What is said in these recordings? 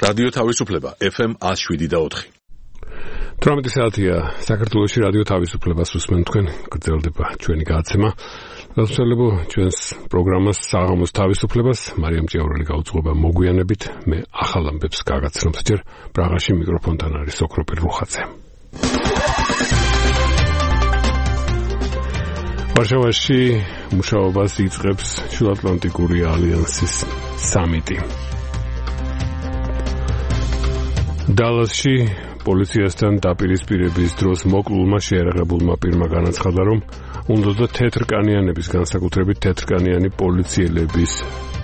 რადიო თავისუფლება FM 107.4. 18 საათია საქართველოში რადიო თავისუფლებას უსმენთ თქვენ, გრძელდება ჩვენი გადაცემა. გასულელებო ჩვენს პროგრამას საღამოს თავისუფლებას მარიამ ჭიაურელი გაუძღვება მოგვიანებით. მე ახალ ამბებს გაგაცნობს ჯერ პრაღაში მიკროფონთან არის ოქროპირ რუხაძე. ვარშავაში მუშაობას იწყებს შუაატლანტიკური ალიანსის სამიტი. დალასში პოლიციასთან დაპირისპირების დროს მოკლულმა შეერაღებულმა პირმა განაცხადა, რომ უნდა თეთრკანიანების, განსაკუთრებით თეთრკანიანი პოლიციელების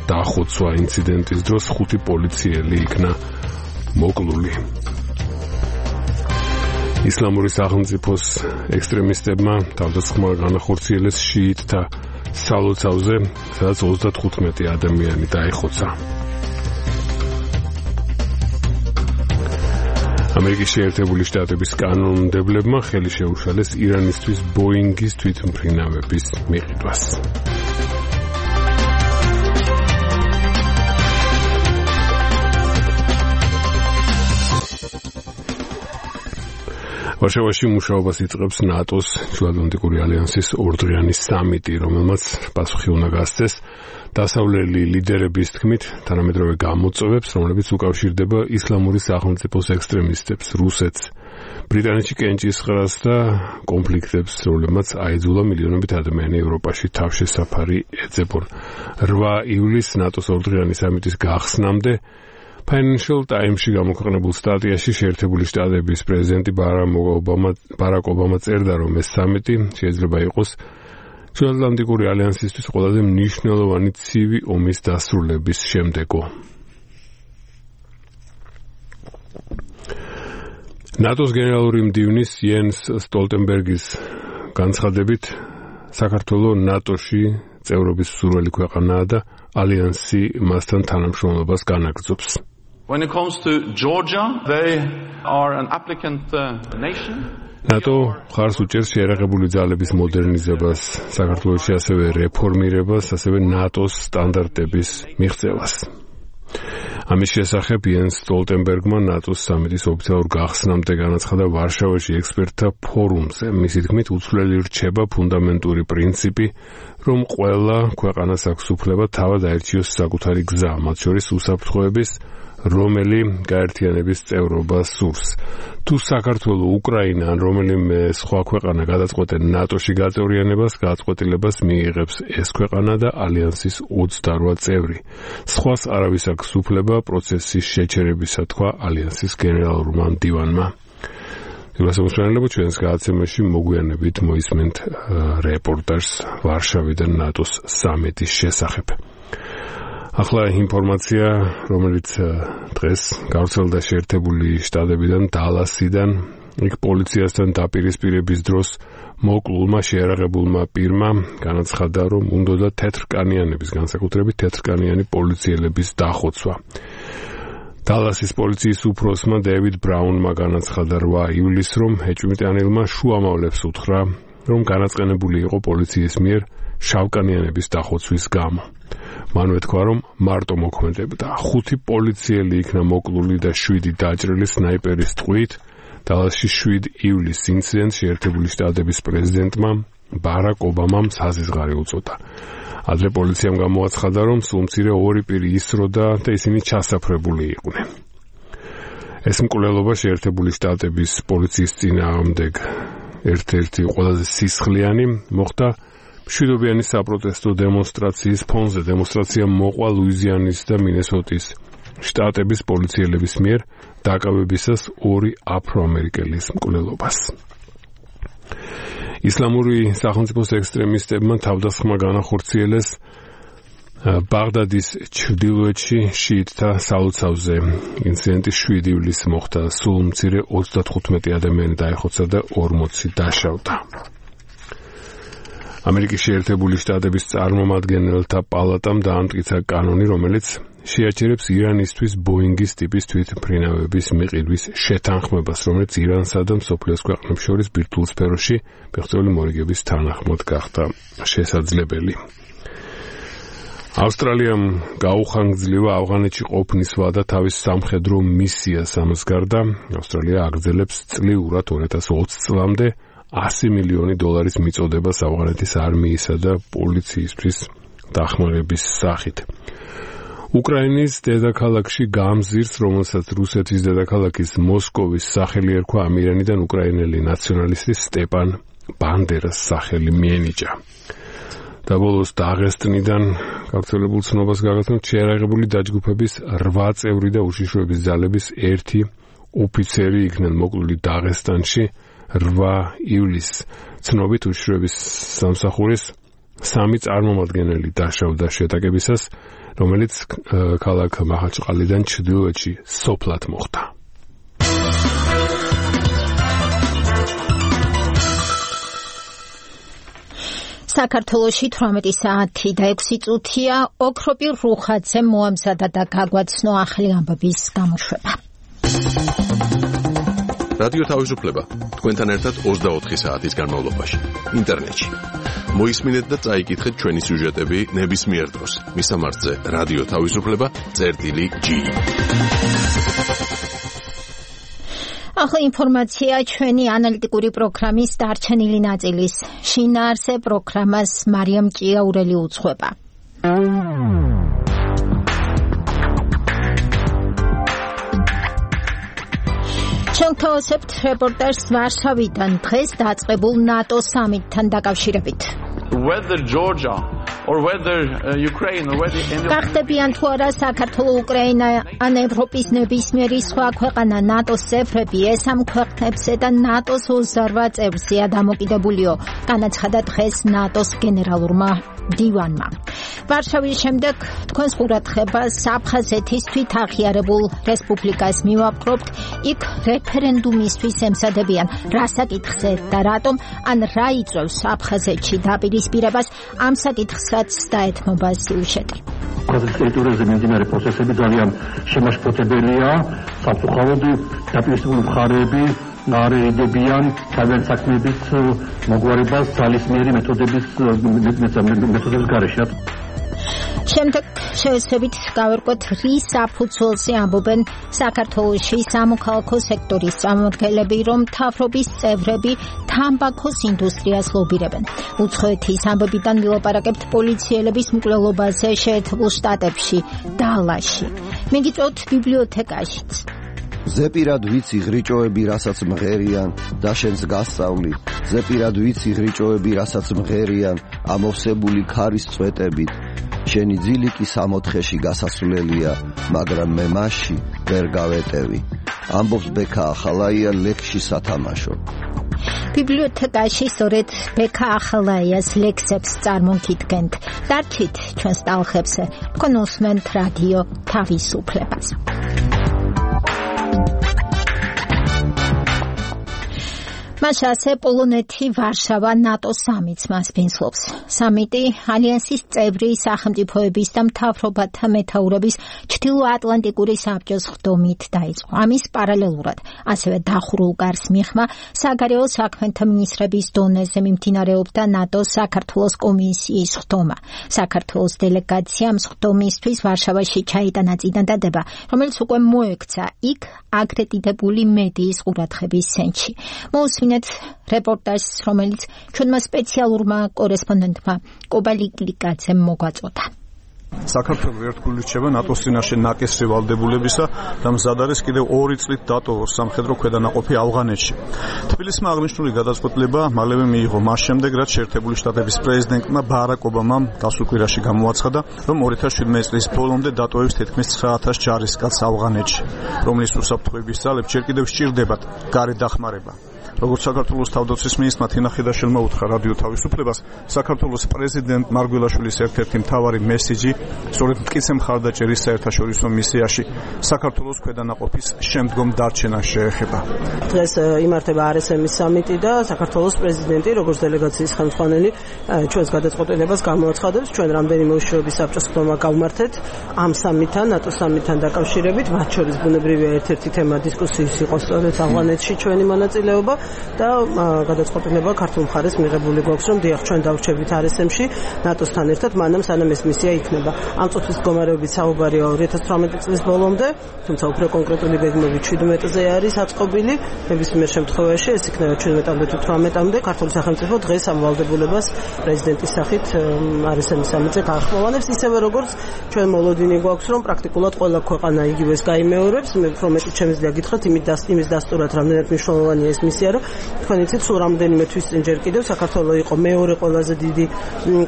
დახოცვა ინციდენტის დროს 5 პოლიციელი იქნა მოკლული. ისლამური სახელმწიფოს ექსტრემისტებმა თავდასხმა განახორციელეს შიიტთა სალოცავზე, სადაც 35 ადამიანი დაიხოცა. ამერიკის შეერთებული შტატების კანონმდებლებმა ხელი შეუშალეს ირანისთვის ბოინგის თვითმფრინავების მიყიდვას. ვარშავაში მუშაობას იწყებს ნატოს შუაატლანტიკური ალიანსის ორდღიანი სამიტი, რომელმაც პასუხი უნდა გასცეს დასავლელი ლიდერების თქმით თანამედროვე გამოწვევებს, რომლებიც უკავშირდება ისლამური სახელმწიფოს ექსტრემისტებს, რუსეთს, ბრიტანეთში კენჭისყრას და კონფლიქტებს, რომლებმაც აიძულა მილიონობით ადამიანი ევროპაში თავშესაფარი ეძებონ. 8 ივლისს ნატოს ორდღიანი სამიტის გახსნამდე Financial Times-ში გამოქვეყნებულ სტატიაში შეერთებული შტატების პრეზიდენტი ბარაკ ობამა წერდა, რომ ეს სამიტი შეიძლება იყოს შუაატლანტიკური ალიანსისთვის ყველაზე მნიშვნელოვანი ცივი ომის დასრულების შემდეგო. ნატოს გენერალური მდივნის იენს სტოლტენბერგის განცხადებით, საქართველოს ნატოში წევრობის მსურველი ქვეყანაა და ალიანსი მასთან თანამშრომლობას განაგრძობს. When it comes to Georgia, they are an applicant nation. NATO ხარს უჭერს შეერაღებული ძალების მოდერნიზებას, საქართველოში ასევე რეფორმირებას, ასევე ნატოს სტანდარტების მიღწევას. ამის შესახებ იენს სტოლტენბერგმა ნატოს სამიტის ოფიციალურ გახსნამდე განაცხადა ვარშავაში ექსპერტთა ფორუმზე. მისი თქმით, უცვლელი რჩება ფუნდამენტური პრინციპი, რომ ყველა ქვეყანას აქვს უფლება თავად აერჩიოს საკუთარი გზა, მათ შორის უსაფრთხოების, რომელი გაერთიანების წევრობას სურს. თუ საქართველო, უკრაინა ან რომელიმე სხვა ქვეყანა გადაწყვეტენ ნატოში გაწევრიანებას, გადაწყვეტილებას მიიღებს ეს ქვეყანა და ალიანსის 28 წევრი. სხვას არავის აქვს უფლება პროცესის შეჩერებისა, თქვა ალიანსის გენერალურმა მდივანმა. გასაგებია, ჩვენს გადაცემაში მოგვიანებით მოისმენთ რეპორტაჟს ვარშავიდან ნატოს სამიტის შესახებ. ახლა ინფორმაცია, რომელიც დღეს გავრცელდა შეერთებული შტატებიდან, დალასიდან, იქ პოლიციასთან დაპირისპირების დროს მოკლულმა შეერაღებულმა პირმა განაცხადა, რომ უნდა თეთრკანიანების, განსაკუთრებით თეთრკანიანი პოლიციელების დახოცვა. დალასის პოლიციის უფროსმა დევიდ ბრაუნმა განაცხადა 8 ივლისს, რომ ეჭვმიტანილმა შუამავლებს უთხრა, რომ განაწყენებული იყო პოლიციის მიერ შავკანიანების დახოცვის გამო. მან უთქვა, რომ მარტო მოქმედებდა. 5 პოლიციელი იქნა მოკლული და 7 დაჭრილი სნაიპერის ტყვით. დალასში 7 ივლისს ინციდენტს შეერთებული შტატების პრეზიდენტმა ბარაკ ობამამ საზღვარი უწოდა. ადრე პოლიციამ გამოაცხადა, რომ სულ მცირე 2 პირი ისროდა და ისინი ჩასაფრებული იყვნენ. ეს მკვლელობა შეერთებული შტატების პოლიციის წინააღმდეგ ერთ-ერთი ყველაზე სისხლიანი მოხდა მშვიდობიანი საპროტესტო დემონსტრაციის ფონზე. დემონსტრაცია მოყვა ლუიზიანის და მინესოტის შტატების პოლიციელების მიერ დაკავებისას 2 აფროამერიკელის მკვლელობას. ისლამური სახელმწიფოს ექსტრემისტებმა თავდასხმა განახორციელეს ბაღდადის ჩრდილოეთში შიიტთა სალოცავზე. ინციდენტი 7 ივლისს მოხდა. სულ მცირე 35 ადამიანი დაიხოცა და 40 დაშავდა. ამერიკის შეერთებული შტატების წარმომადგენელთა პალატამ დაამტკიცა კანონი, რომელიც შეაჩერებს ირანისთვის ბოინგის ტიპის თვითმფრინავების მიყიდვის შეთანხმებას, რომელიც ირანსა და მსოფლიოს ქვეყნებს შორის ბირთვულ სფეროში მიღწეული მორიგების თანახმად გახდა შესაძლებელი. ავსტრალიამ გაუხანგძლива ავღანეთში ყოფნის ვადა თავის სამხედრო მისიას ამას გარდა ავსტრალია აგრძელებს წლიურად 2020 წლამდე $100 მილიონი მიწოდებას ავღანეთის არმიისა და პოლიციისთვის დახმარების სახით. უკრაინის დედაქალაქში გამზირს, რომელსაც რუსეთის დედაქალაქის მოსკოვის სახელი ერქვა ამირანიდან უკრაინელი ნაციონალისტი სტეპან ბანდერას სახელი მიენიჭა. და ბოლოს დაღესტნიდან გავრცელებულ ცნობას გაგაცნობთ შეიარაღებული დაჯგუფების 8 წევრი და უშიშროების ძალების 1 ოფიცერი იქნენ მოკლული დაღესტანში 8 ივლისს. ცნობით უშიშროების სამსახურის 3 წარმომადგენელი დაშავდა შეტაკებისას, რომელიც ქალაქ მაჰაჩყალიდან ჩრდილოეთში სოფლად მოხდა. საქართველოში 18 საათი და 6 წუთია ოქროპირ რუხაძემ მოამზადა და გაგვაცნო ახალი ამბების გამოშვება. რადიო თავისუფლება თქვენთან ერთად 24 საათის განმავლობაში ინტერნეტში. მოისმინეთ და წაიკითხეთ ჩვენი სიუჟეტები ნებისმიერ დროს. მისამართზე რადიო თავისუფლება.gi. ახლა ინფორმაცია ჩვენი ანალიტიკური პროგრამის დარჩენილი ნაწილის. შინაარსე პროგრამას მარიამ ჭიაურელი უძღვება. შევთავაზებთ რეპორტაჟს ვარშავიდან დღეს დაწყებულ ნატო სამიტთან დაკავშირებით. Whether Georgia or whether Ukraine or whether any გახდებიან თუ არა საქართველო, უკრაინა ან ევროპის ნებისმიერი სხვა ქვეყანა ნატოს წევრები, ეს ამ ქვეყნებზე და ნატოს 28 წევრზეა დამოკიდებულიო, განაცხადა დღეს ნატოს გენერალურმა დივანმა. ვარშავის შემდეგ თქვენს ყურადღებას აფხაზეთის თვითაღიარებულ რესპუბლიკას მივაპყრობთ. იქ რეფერენდუმისთვის ემზადებიან რა საკითხზე და რატომ, ან რა იწვევს აფხაზეთში დაპირისპირებას, ამ საკითხსაც დაეთმობა სიუჟეტი. აფხაზეთის ტერიტორიაზე მიმდინარე პროცესები ძალიან შემაშფოთებელია, საფუძვლოდ დაპირისპირებული მხარეები არეიდებიან თავიანთ საქმეების მოგვარებას ძალისმიერი მეთოდების გარეშე. შემდეგ შევეცდებით გავერკვოთ, რის საფუძველზე ამბობენ საქართველოში სამოქალაქო სექტორის წარმომადგენლები, რომ მთავრობის წევრები თამბაქოს ინდუსტრიას ლობირებენ. უცხოეთის ამბებიდან ვილაპარაკებთ პოლიციელების მკვლელობაზე შეერთებულ შტატებში, დალაში. მიგიწევთ ბიბლიოთეკაშიც. ზეპირად ვიცი ღრიჭოები, რასაც მღერიან და შენს გასწავლი. ზეპირად ვიცი ღრიჭოები, რასაც მღერიან ამოვსებული ქარის წვეტებით. შენი ძილიკი 64-ში გასასვლელია, მაგრამ მე მასში ვერ გავეტევი. ამბობს ბექა ახალაია ლექსში სათამაშო. ბიბლიოთეკაში სწორედ ბექა ახალაიას ლექსებს წარმოგიდგენთ. დარჩით ჩვენს ტალხებზე, თქვენ უსმენთ რადიო თავისუფლებას. მასაზე პოლონეთი ვარშავა ნატო სამიტს მასპინძლობს. სამიტი ალიანსის წევრი სახელმწიფოების და მთავრობათა მეთაურების ჩრდილოატლანტიკური საბჭოს ხდომით დაიწყო. ამის პარალელურად ასევე დახურულ გარს მიხმა საგარეო საქმეთა მინისტრების დონეზე მიმდინარეობდა ნატოს საქართველოს კომისიის ხდომა. საქართველოს დელეგაციამ ხდომისთვის ვარშავაში ჩაიტანა წინადადება, რომელიც უკვე მოექცა იქ აკრედიტებული მედიის ყურადღების ცენტრში. რეპორტაჟს, რომელიც ჩვენმა სპეციალურმა კორესპონდენტმა კობალი კლიკაძემ მოგვაწოდა. საქართველოს ერთგული რჩება ნატოს წინაშე ნაკისრი ვალდებულებისა და მზად არის კიდევ 2 წლით დატოვოს სამხედრო ქვედანაყოფი ავღანეთში. თბილისმა აღნიშნული გადაწყვეტილება მალევე მიიღო მას შემდეგ, რაც შეერთებული შტატების პრეზიდენტმა ბარაკ ობამამ გასულ კვირაში გამოაცხადა, რომ 2017 წლის ბოლომდე დატოვებს თითქმის 9000 ჯარისკაცს ავღანეთში, რომლის უსაფრთხოების ძალებს ჯერ კიდევ სჭირდებათ გარე დახმარება. როგორც საქართველოს თავდაცვის მინისტრმა თინა ხიდაშელმა უთხრა რადიო თავისუფლებას, საქართველოს პრეზიდენტ მარგველაშვილის ერთ-ერთი მთავარი მესიჯი სწორედ მტკიცე მხარდაჭერის საერთაშორისო მისიაში საქართველოს ქვედანაყოფის შემდგომ დარჩენას შეეხება. დღეს იმართება RSM-ის სამიტი და საქართველოს პრეზიდენტი, როგორც დელეგაციის ხელმძღვანელი, ჩვენს გადაწყვეტილებას გამოაცხადებს. ჩვენ რამდენიმე უშიშროების საბჭოს ხდომა გავმართეთ ამ სამიტთან, ნატო სამიტთან დაკავშირებით, მათ შორის ბუნებრივია ერთ-ერთი თემა დისკუსიის იყო სწორედ ავღანეთში ჩვენი მონაწილეობა. და გადაწყვეტილება ქართულ მხარეს მიღებული გვაქვს, რომ დიახ, ჩვენ დავრჩებით RSM-ში ნატოსთან ერთად, მანამ სანამ ეს მისია იქნება. ამ წუთის მდგომარეობით საუბარია 2018 წლის ბოლომდე, თუმცა უფრო კონკრეტული გეგმები 17-ზე არის აწყობილი. ნებისმიერ შემთხვევაში ეს იქნება 17-მდე თუ 18-მდე. ქართული სახელმწიფო დღეს ამ ვალდებულებას პრეზიდენტის სახით RSM-ის სამიტზე გაახმოვანებს, ისევე როგორც ჩვენ მოლოდინი გვაქვს, რომ პრაქტიკულად ყველა ქვეყანა იგივეს გაიმეორებს. მე უფრო მეტი შემიძლია გითხრათ იმის დასტურად, რამდენად მნიშვნელოვანია ეს მისია, რომ თქვენ იცით, სულ რამდენიმე თვის წინ ჯერ კიდევ საქართველო იყო მეორე ყველაზე დიდი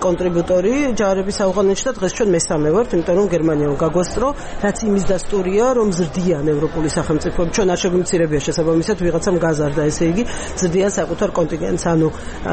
კონტრიბუტორი ჯარების ავღანეთში და დღეს ჩვენ მესამე ვართ, იმიტომ რომ გერმანიამ გაგვასწრო, რაც იმის დასტურია, რომ ზრდიან ევროპული სახელმწიფოები. ჩვენ არ შეგვიმცირებია შესაბამისად ვიღაცამ გაზარდა, ესე იგი ზრდიან საკუთარ კონტინგენტს, ანუ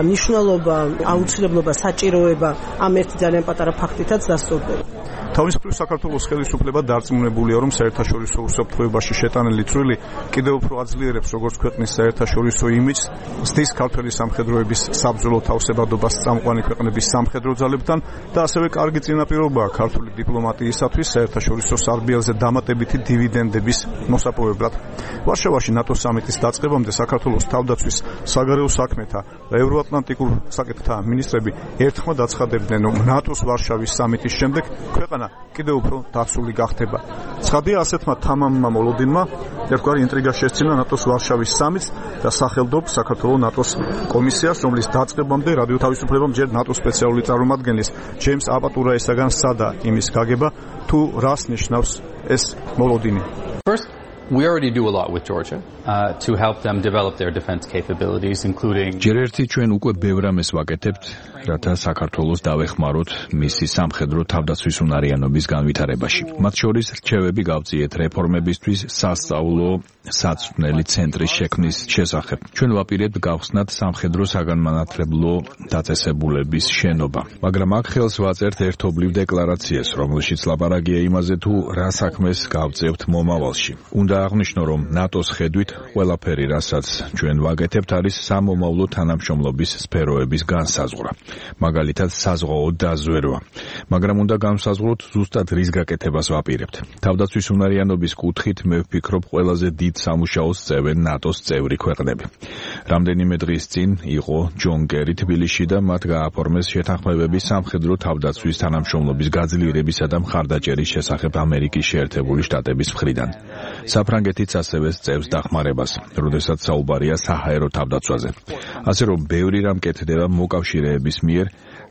მნიშვნელობა, აუცილებლობა, საჭიროება ამ ერთი ძალიან პატარა ფაქტითაც დასტურდება. თავისუფლ საქართველოს ხელისუფლება დარწმუნებულია, რომ საერთაშორისო უსაფრთხოებაში შეტანილი წვლილი კიდევ უფრო აძლიერებს როგორც ქვეყნის საერთაშორისო იმიჯს, ზრდის ქართველი სამხედროების საბრძოლო თავსებადობას წამყვანი ქვეყნების სამხედრო ძალებთან და ასევე კარგი წინაპირობაა ქართული დიპლომატიისათვის საერთაშორისო სარბიელზე დამატებითი დივიდენდების მოსაპოვებლად. ვარშავაში ნატოს სამიტის დაწყებამდე საქართველოს თავდაცვის, საგარეო საქმეთა და ევროატლანტიკურ საკითხთა მინისტრები ერთხმად აცხადებდნენ, რომ ნატოს ვარშავის სამიტის შემდეგ ქვეყანა კიდევ უფრო დაცული გახდება. ცხადია, ასეთმა თამამმა მოლოდინმა ერთგვარი ინტრიგა შესწირა ნატოს ვარშავის სამიტს და სახელდობს საქართველოს ნატოს კომისიას, რომლის დაწყებამდე რადიო თავისუფლებამ ჯერ ნატოს სპეციალური წარმომადგენლის ჯეიმს აპატურაესაგან სცადა იმის გაგება, თუ რას ნიშნავს ეს მოლოდინი. First, we already do a lot with Georgia to help them develop their defense capabilities, including ჯერ ერთი ჩვენ უკვე ბევრ ამას ვაკეთებთ, რათა საქართველოს დავეხმაროთ მისი სამხედრო თავდაცვის უნარიანობის განვითარებაში. მათ შორის რჩევები გავწიეთ რეფორმებისთვის სასწავლო საწვრთნელი ცენტრის შექმნის შესახებ. ჩვენ ვაპირებთ გავხსნათ სამხედრო საგანმანათლებლო დაწესებულების შენობა. მაგრამ აქ ხელს ვაწერთ ერთობლივ დეკლარაციას, რომელშიც ლაპარაკია იმაზე, თუ რა საქმეს გავწევთ მომავალში. უნდა აღნიშნო, რომ ნატოს ხედვით ყველაფერი, რასაც ჩვენ ვაკეთებთ, არის სამომავლო თანამშრომლობის სფეროების განსაზღვრა. მაგალითად, საზღვაო დაზვერვა. მაგრამ უნდა განსაზღვროთ ზუსტად რის გაკეთებას ვაპირებთ. თავდაცვის უნარიანობის კუთხით მე ვფიქრობ, ყველაზე დიდ სამუშაოს წევენ ნატოს წევრი ქვეყნები. რამდენიმე დღის წინ იყო ჯონ კერი თბილისში და მათ გააფორმეს შეთანხმებები სამხედრო თავდაცვის თანამშრომლობის გაძლიერებისა და მხარდაჭერის შესახებ ამერიკის შეერთებული შტატების მხრიდან. საფრანგეთიც ასევე წევს დახმარებას, როდესაც საუბარია საჰაერო თავდაცვაზე. ასე რომ ბევრი რამ კეთდება მოკავშირეების მიერ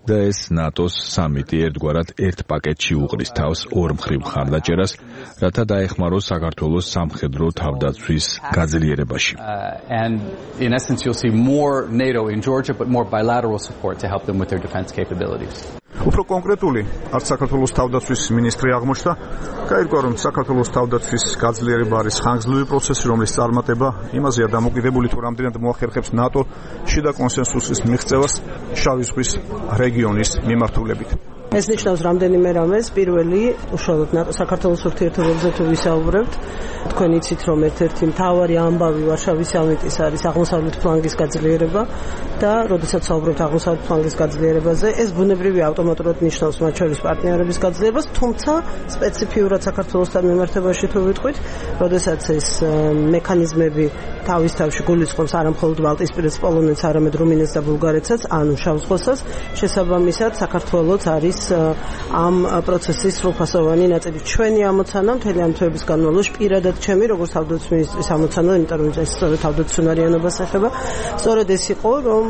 და ეს ნატოს სამიტი ერთგვარად ერთ პაკეტში უყრის თავს ორ მხრივ მხარდაჭერას, რათა დაეხმაროს საქართველოს სამხედრო თავდაცვის გაძლიერებაში. And in essence you'll see more NATO in Georgia but more bilateral support to help them with their defense capabilities. უფრო კონკრეტული, არც საქართველოს თავდაცვის მინისტრი აღმოჩნდა, გაირკვა, რომ საქართველოს თავდაცვის გაძლიერება არის ხანგრძლივი პროცესი, რომლის წარმატება იმაზეა დამოკიდებული, თუ რამდენად მოახერხებს ნატო შიდა კონსენსუსის მიღწევას შავი ზღვის რეგიონის მიმართულებით. ეს ნიშნავს რამდენიმე რამეს. პირველი, უშუალოდ ნატო საქართველოს ურთიერთობებზე თუ ვისაუბრებთ, თქვენ იცით, რომ ერთ-ერთი მთავარი ამბავი ვარშავის სამიტის არის აღმოსავლეთ ფლანგის გაძლიერება და როდესაც საუბრობთ აღმოსავლეთ ფლანგის გაძლიერებაზე, ეს ბუნებრივი ავტომატურად ნიშნავს მათ შორის პარტნიორების გაძლიერებას, თუმცა სპეციფიურად საქართველოსთან მიმართებაში თუ ვიტყვით, როდესაც ეს მექანიზმები თავის თავში გულისხმობს არა მხოლოდ ბალტიისპირეთს, პოლონეთს, არამედ რუმინეთს და ბულგარეთსაც, ანუ შავ ზღვასაც, შესაბამისად საქართველოც არის ამ პროცესის სრულფასოვანი ნაწილი. ჩვენი ამოცანა მთელი ამ თვეების განმავლობაში პირადად ჩემი როგორც თავდაცვის მინისტრის ამოცანა, იმიტომ რომ ეს სწორედ თავდაცვის უნარიანობას ეხება, სწორედ ეს იყო, რომ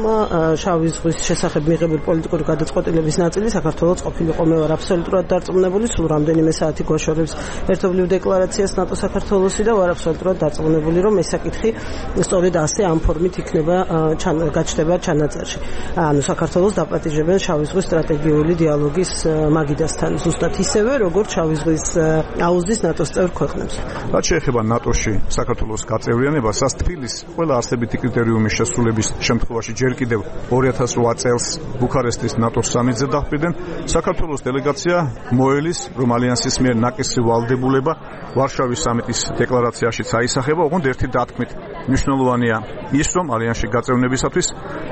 შავი ზღვის შესახებ მიღებული პოლიტიკური გადაწყვეტილების ნაწილი საქართველოს ყოფილიყო. მე ვარ აბსოლუტურად დარწმუნებული, სულ რამდენიმე საათი გვაშორებს ერთობლივ დეკლარაციას ნატო საქართველოსი და ვარ აბსოლუტურად დარწმუნებული, რომ ეს საკითხი სწორედ ასე ამ ფორმით იქნება გაჩნდება ჩანაწერში. ანუ საქართველოს დაპატიჟებენ შავი ზღვის სტრატეგიული დიალოგი მაგიდასთან, ზუსტად ისევე, როგორც შავი ზღვის აუზდის ნატოს წევრ ქვეყნებს. რაც შეეხება ნატოში საქართველოს გაწევრიანებას, ას თბილისს ყველა არსებითი კრიტერიუმის შესრულების შემთხვევაში ჯერ კიდევ 2008 წელს ბუქარესტის ნატოს სამიტზე მხრიდან საქართველოს დელეგაცია მოელის, რომ ალიანსის მიერ ნაკისრი ვალდებულება ვარშავის სამიტის დეკლარაციაშიც აისახება, ოღონდ ერთი დათქმით მნიშვნელოვანია ის, რომ ალიანსში გაწევნებისათვის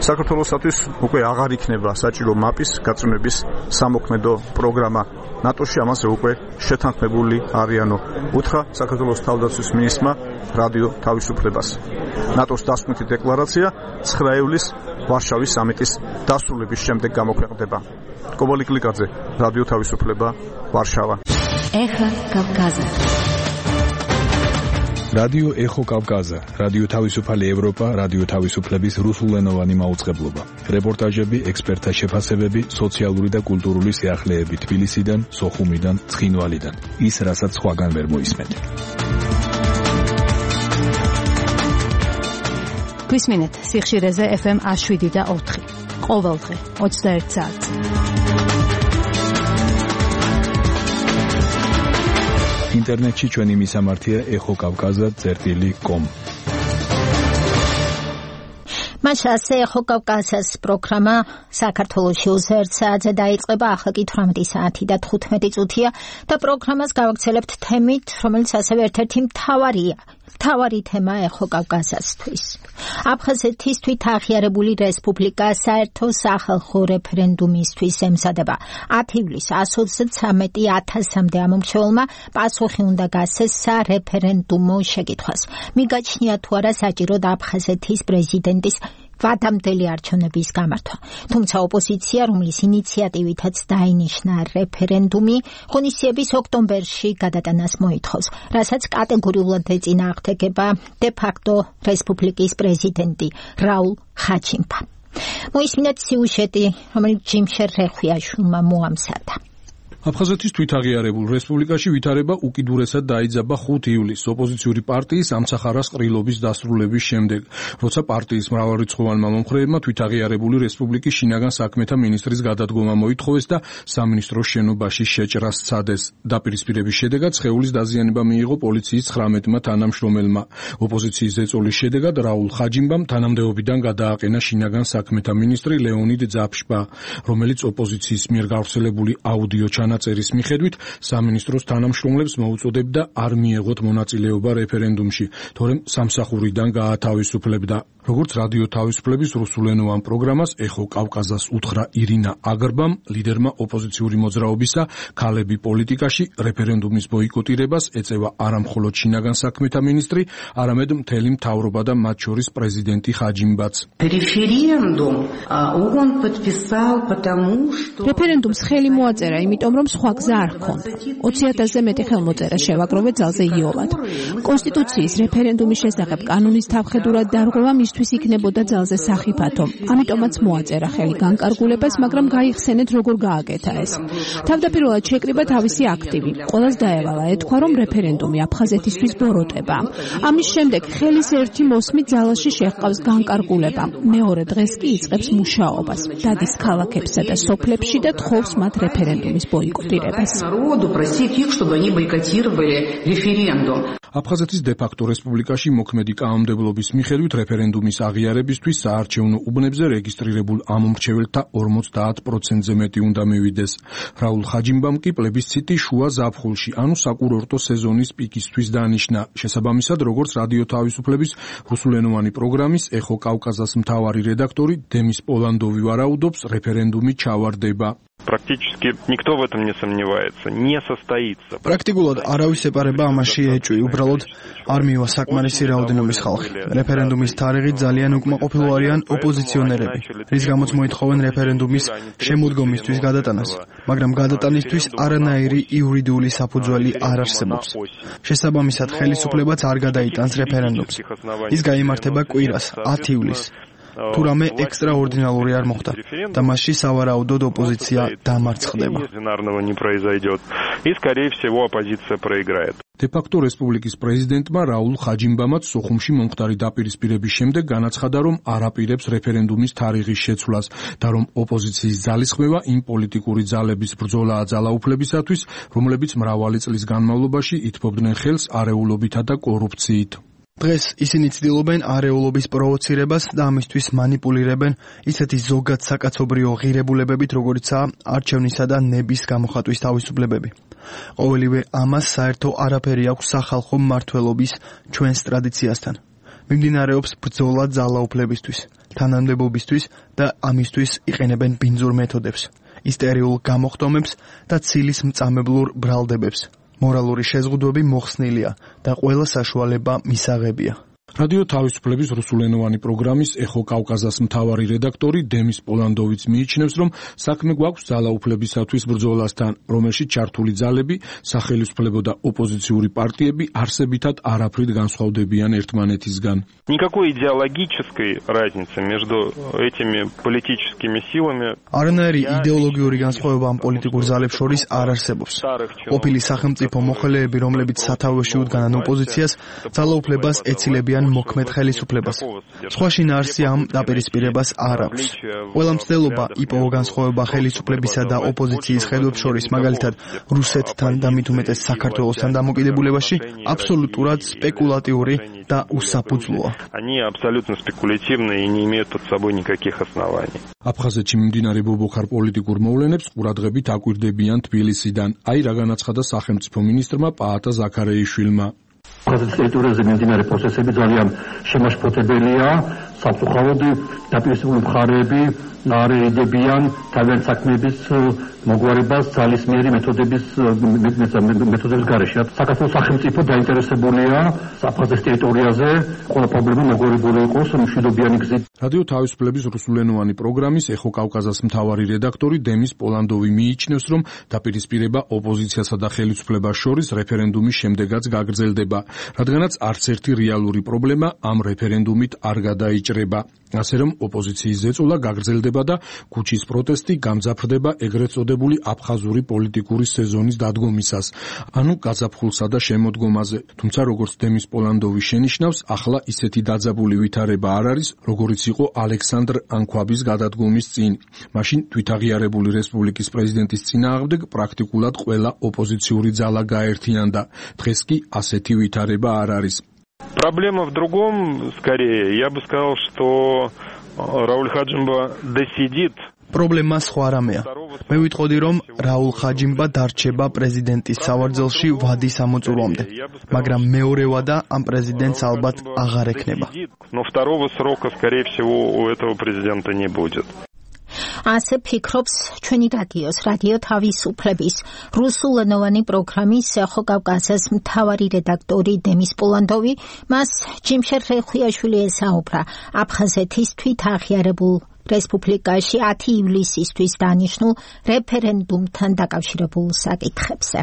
საქართველოსათვის უკვე აღარ იქნება საჭირო მაპის გაწევნების სამოქმედო პროგრამა ნატოში, ამაზე უკვე შეთანხმებული არიანო. უთხრა საქართველოს თავდაცვის მინისტრმა რადიო თავისუფლებას. ნატოს დასკვნითი დეკლარაცია 9 ივლისს ვარშავის სამიტის დასრულების შემდეგ გამოქვეყნდება. კობალი კლიკაძე, რადიო თავისუფლება, ვარშავა. ეხა კავკაზა. რადიო ეხო კავკაზა, რადიო თავისუფალი ევროპა, რადიო თავისუფლების რუსულენოვანი მაუწყებლობა. რეპორტაჟები, ექსპერტთა შეფასებები, სოციალური და კულტურული სიახლეები თბილისიდან, სოხუმიდან, ცხინვალიდან. ის, რასაც სხვაგან ვერ მოისმენთ. გვისმენთ სიხშირეზე FM 107 და 4. ყოველდღე 21 საათს. ინტერნეტში ჩვენი მისამართია ეხოკავკაზა.com. მაშასე ეხო კავკასიის პროგრამა საქართველოში 21 საათზე დაიწყება, ახლა კი 18 საათი და 15 წუთია და პროგრამას გავაგრძელებთ თემით, რომელიც ასევე ერთ-ერთი მთავარი თემა ეხო კავკასიისთვის. აფხაზეთის თვითაღიარებული რესპუბლიკა საერთო სახალხო რეფერენდუმისთვის ემზადება. 10 ივლისს 133,000-მდე ამომრჩეველმა პასუხი უნდა გასცეს სარეფერენდუმო შეკითხვას. მიგაჩნია თუ არა საჭიროდ აფხაზეთის პრეზიდენტის ვადამდელი არჩევნების გამართვა. თუმცა ოპოზიცია, რომლის ინიციატივითაც დაინიშნა რეფერენდუმი, ღონისძიების ოქტომბერში გადატანას მოითხოვს, რასაც კატეგორიულად ეწინააღმდეგება დე-ფაქტო რესპუბლიკის პრეზიდენტი რაულ ხაჩინბა. მოისმინეთ სიუჟეტი, რომელიც ჯიმშერ რეხვიაშვილმა მოამზადა. აფხაზეთის თვითაღიარებულ რესპუბლიკაში ვითარება უკიდურესად დაიძაბა 5 ივლისს ოპოზიციური პარტიის ამცახარას ყრილობის დასრულების შემდეგ, როცა პარტიის მრავალრიცხოვანმა მომხრეებმა თვითაღიარებული რესპუბლიკის შინაგან საქმეთა მინისტრის გადადგომა მოითხოვეს და სამინისტროს შენობაში შეჭრა სცადეს. დაპირისპირების შედეგად სხეულის დაზიანება მიიღო პოლიციის 19-მა თანამშრომელმა. ოპოზიციის ზეწოლის შედეგად რაულ ხაჯინბამ თანამდებობიდან გადააყენა შინაგან საქმეთა მინისტრი ლეონიდ ძაფშბა, რომელიც ოპოზიციის მიერ გავრცელებული აუდიო წერის მიხედვით სამინისტროს თანამშრომლებს მოუწოდებდა არ მიეღოთ მონაწილეობა რეფერენდუმში, თორემ სამსახურიდან გაათავისუფლებდა. როგორც რადიო თავისუფლების რუსულენოვან პროგრამას ეხო კავკაზას უთხრა ირინა აგრბამ, ლიდერმა ოპოზიციური მოძრაობისა ქალები პოლიტიკაში რეფერენდუმის ბოიკოტირებას ეწევა არა მხოლოდ შინაგან საქმეთა მინისტრი, არამედ მთელი მთავრობა და მათ შორის პრეზიდენტი ხაჯინბაც. რეფერენდუმს ხელი მოაწერა, იმიტომ რომ სხვა გზა არ ჰქონდა. 20,000-ზე მეტი ხელმოწერა შევაგროვეთ ძალზე იოლად. კონსტიტუციის რეფერენდუმის შესახებ კანონის თავხედურად დარღვევა მისთვის იქნებოდა ძალზე სახიფათო. ამიტომაც მოაწერა ხელი განკარგულებას, მაგრამ გაიხსენეთ როგორ გააკეთა ეს. თავდაპირველად შეკრიბა თავისი აქტივი. ყველას დაევალა ეთქვა, რომ რეფერენდუმი აფხაზეთისთვის ბოროტება. ამის შემდეგ ხელის ერთი მოსმით ძალაში შეჰყავს განკარგულება. მეორე დღეს კი იწყებს მუშაობას. დადის ქალაქებსა და სოფლებში და თხოვს მათ რეფერენდუმის ბოიკოტირებას. აფხაზეთის დე-ფაქტო რესპუბლიკაში მოქმედი კანონმდებლობის მიხედვით რეფერენდუმის აღიარებისთვის საარჩევნო უბნებზე რეგისტრირებულ ამომრჩეველთა 50%-ზე მეტი უნდა მივიდეს. რაულ ხაჯინბამ კი პლებისციტი შუა ზაფხულში, ანუ საკურორტო სეზონის პიკისთვის დანიშნა. შესაბამისად, როგორც რადიო თავისუფლების რუსულენოვანი პროგრამის ეხო კავკაზას მთავარი რედაქტორი დემის პოლანდოვი ვარაუდობს, რეფერენდუმი ჩავარდება. Практически никто в этом не сомневается, не состоится. Практикულად არავის ეპარება ამაში ეჭვი, უბრალოდ არ მივა საკმარისი რაოდენობის ხალხი. რეფერენდუმის თარიღით ძალიან უკმაყოფილო არიან ოპოზიციონერები, რის გამოც მოითხოვენ რეფერენდუმის შემოდგომისთვის გადატანას, მაგრამ გადატანისთვის არანაირი იურიდიული საფუძველი არ არსებობს. შესაბამისად, ხელისუფლებაც არ გადაიტანს რეფერენდუმს. ის გაიმართება კვირას, 10 ივლისს. თუ რამე ექსტრაორდინალური არ მოხდა და მასში სავარაუდოდ ოპოზიცია დამარცხდება. დე-ფაქტო რესპუბლიკის პრეზიდენტმა რაულ ხაჯინბამაც სოხუმში მომხდარი დაპირისპირების შემდეგ განაცხადა, რომ არ აპირებს რეფერენდუმის თარიღის შეცვლას და რომ ოპოზიციის ძალისხმევა იმ პოლიტიკური ძალების ბრძოლაა ძალაუფლებისათვის, რომლებიც მრავალი წლის განმავლობაში ითბობდნენ ხელს არეულობითა და კორუფციით. დღეს ისინი ცდილობენ არეულობის პროვოცირებას და ამისთვის манипуლირებენ ისეთი ზოგად საკაცობრიო ღირებულებებით, როგორიცაა არჩევნისა და ნების გამოხატვის თავისუფლებები. ყოველივე ამას საერთო არაფერი აქვს სახალხო მმართველობის ჩვენს ტრადიციასთან. მიმდინარეობს ბრძოლა ძალაუფლებისთვის, თანამდებობისთვის და ამისთვის იყენებენ ბინძურ მეთოდებს, ისტერიულ გამოხტომებს და ცილის მწამებლურ ბრალდებებს. მორალური შეზღუდვები მოხსნილია და ყველა საშუალება მისაღებია. რადიო თავისუფლების რუსულენოვანი პროგრამის ეხო კავკაზას მთავარი რედაქტორი დემის პოლანდოვიც მიიჩნევს, რომ საქმე გვაქვს ძალაუფლებისათვის ბრძოლასთან, რომელშიც ჩართული ძალები, სახელმწიფო და ოპოზიციური პარტიები არსებითად არაფრით განსხვავდებიან ერთმანეთისგან. Никакой идеологической разницы между этими политическими силами. არანაირი იდეოლოგიური განსხვავება ამ პოლიტიკურ ძალებს შორის არ არსებობს. ყოფილი სახელმწიფო მოხელეები, რომლებიც სათავეში უდგანან ოპოზიციას, ძალაუფლებას ეცილებიან მოქმედ ხელისუფლებას. სხვა შინაარსი ამ დაპირისპირებას არ აქვს. ყველა მცდელობა იპოვო განსხვავება ხელისუფლებისა და ოპოზიციის ხედვებს შორის, მაგალითად რუსეთთან და მით უმეტეს საქართველოსთან დამოკიდებულებაში, აბსოლუტურად სპეკულატიური და უსაფუძვლოა. Они абсолютно спекулятивны и не имеют под собой никаких оснований. აფხაზეთში მიმდინარე ბობოქარ პოლიტიკურ მოვლენებს ყურადღებით აკვირდებიან თბილისიდან. აი რა განაცხადა სახელმწიფო მინისტრმა პაატა ზაქარეიშვილმა. აფხაზეთის ტერიტორიაზე მიმდინარე პროცესები ძალიან შემაშფოთებელია. სამწუხაროდ დაპირისპირებული მხარეები არ ეძებიან თავიანთ საქმეების მოგვარებას ძალისმიერი მეთოდების გარეშე. საქართველოს სახელმწიფო დაინტერესებულია აფხაზეთის ტერიტორიაზე ყველა პრობლემა მოგვარებული იყოს მშვიდობიანი გზით. რადიო თავისუფლების რუსულენოვანი პროგრამის ეხო კავკაზას მთავარი რედაქტორი დემის პოლანდოვი მიიჩნევს, რომ დაპირისპირება ოპოზიციასა და ხელისუფლებას შორის რეფერენდუმის შემდეგაც გაგრძელდება, რადგანაც არც ერთი რეალური პრობლემა ამ რეფერენდუმით არ გადაიჭრება. ასე რომ ოპოზიციის ზეწოლა გაგრძელდება და ქუჩის პროტესტი გამძაფრდება ეგრეთ წოდებული აფხაზური პოლიტიკური სეზონის დადგომისას, ანუ გაზაფხულსა და შემოდგომაზე. თუმცა როგორც დემის პოლანდოვი შენიშნავს, ახლა ისეთი დაძაბული ვითარება არ არის, როგორიც იყო ალექსანდრ ანქვაბის გადადგომის წინ. მაშინ თვითაღიარებული რესპუბლიკის პრეზიდენტის წინააღმდეგ პრაქტიკულად ყველა ოპოზიციური ძალა გაერთიანდა. დღეს კი ასეთი ვითარება არ არის. Проблема в другом, скорее. Я бы сказал, что Рауль Хаджимба досидит. პრობლემა სხვა რამეა. მე ვიტყოდი, რომ რაულ ხაჯიმბა დარჩება პრეზიდენტის სავარძელში ვადის ამოწურვამდე, მაგრამ მეორე ვადა ამ პრეზიდენტს ალბათ აღარ ექნება. Но второго срока, скорее всего, у этого президента не будет. ასე ფიქრობს ჩვენი რადიო თავისუფლების რუსულენოვანი პროგრამის ეხო კავკასიის მთავარი რედაქტორი დემის პოლანდოვი. მას ჯიმშერ ხეხვიაშვილი ესაუბრა აფხაზეთის თვითაღიარებულ რესპუბლიკაში 10 ივლისისთვის დანიშნულ რეფერენდუმთან დაკავშირებულ საკითხებზე.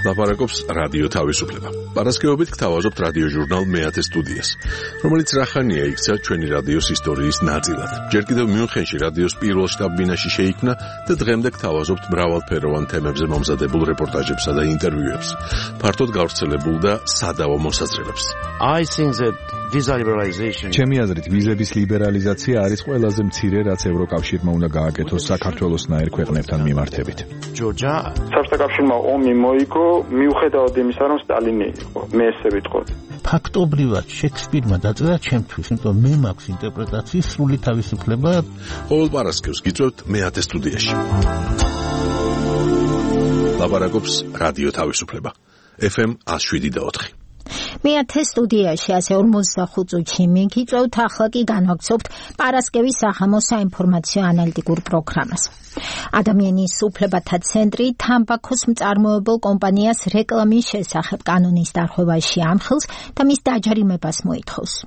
ლაპარაკობს რადიო თავისუფლება. პარასკევობით გთავაზობთ რადიო ჟურნალ მეათე სტუდიას, რომელიც რახანია იქცა ჩვენი რადიოს ისტორიის ნაწილად. ჯერ კიდევ მიუნხენში რადიოს პირველ შტაბ-ბინაში შეიქმნა და დღემდე გთავაზობთ მრავალფეროვან თემებზე მომზადებულ რეპორტაჟებსა და ინტერვიუებს, ფართოდ გავრცელებულ და სადავო მოსაზრებებს. ჩემი აზრით, ვიზების ლიბერალიზაცია არის ყველაზე მცირე, რაც ევროკავშირმა უნდა გააკეთოს საქართველოსნაირ ქვეყნებთან მიმართებით. საბჭოთა კავშირმა ომი მოიგო, მიუხედავად იმისა, რომ სტალინი იყო, მე ესე ვიტყოდი. ფაქტობრივად შექსპირმა დაწერა ჩემთვის, იმიტომ მე მაქვს ინტერპრეტაციის სრული თავისუფლება. ყოველ პარასკევს გიწევთ მეათე სტუდიაში. ლაპარაკობს რადიო თავისუფლება. FM 107.4. მეათე სტუდიაში 45 წუთში მიგიწევთ, ახლა კი განვაგრძობთ პარასკევის საღამოს საინფორმაციო ანალიტიკურ პროგრამას. ადამიანის უფლებათა ცენტრი თამბაქოს მწარმოებელ კომპანიას რეკლამის შესახებ კანონის დარღვევაში ამხილს და მის დაჯარიმებას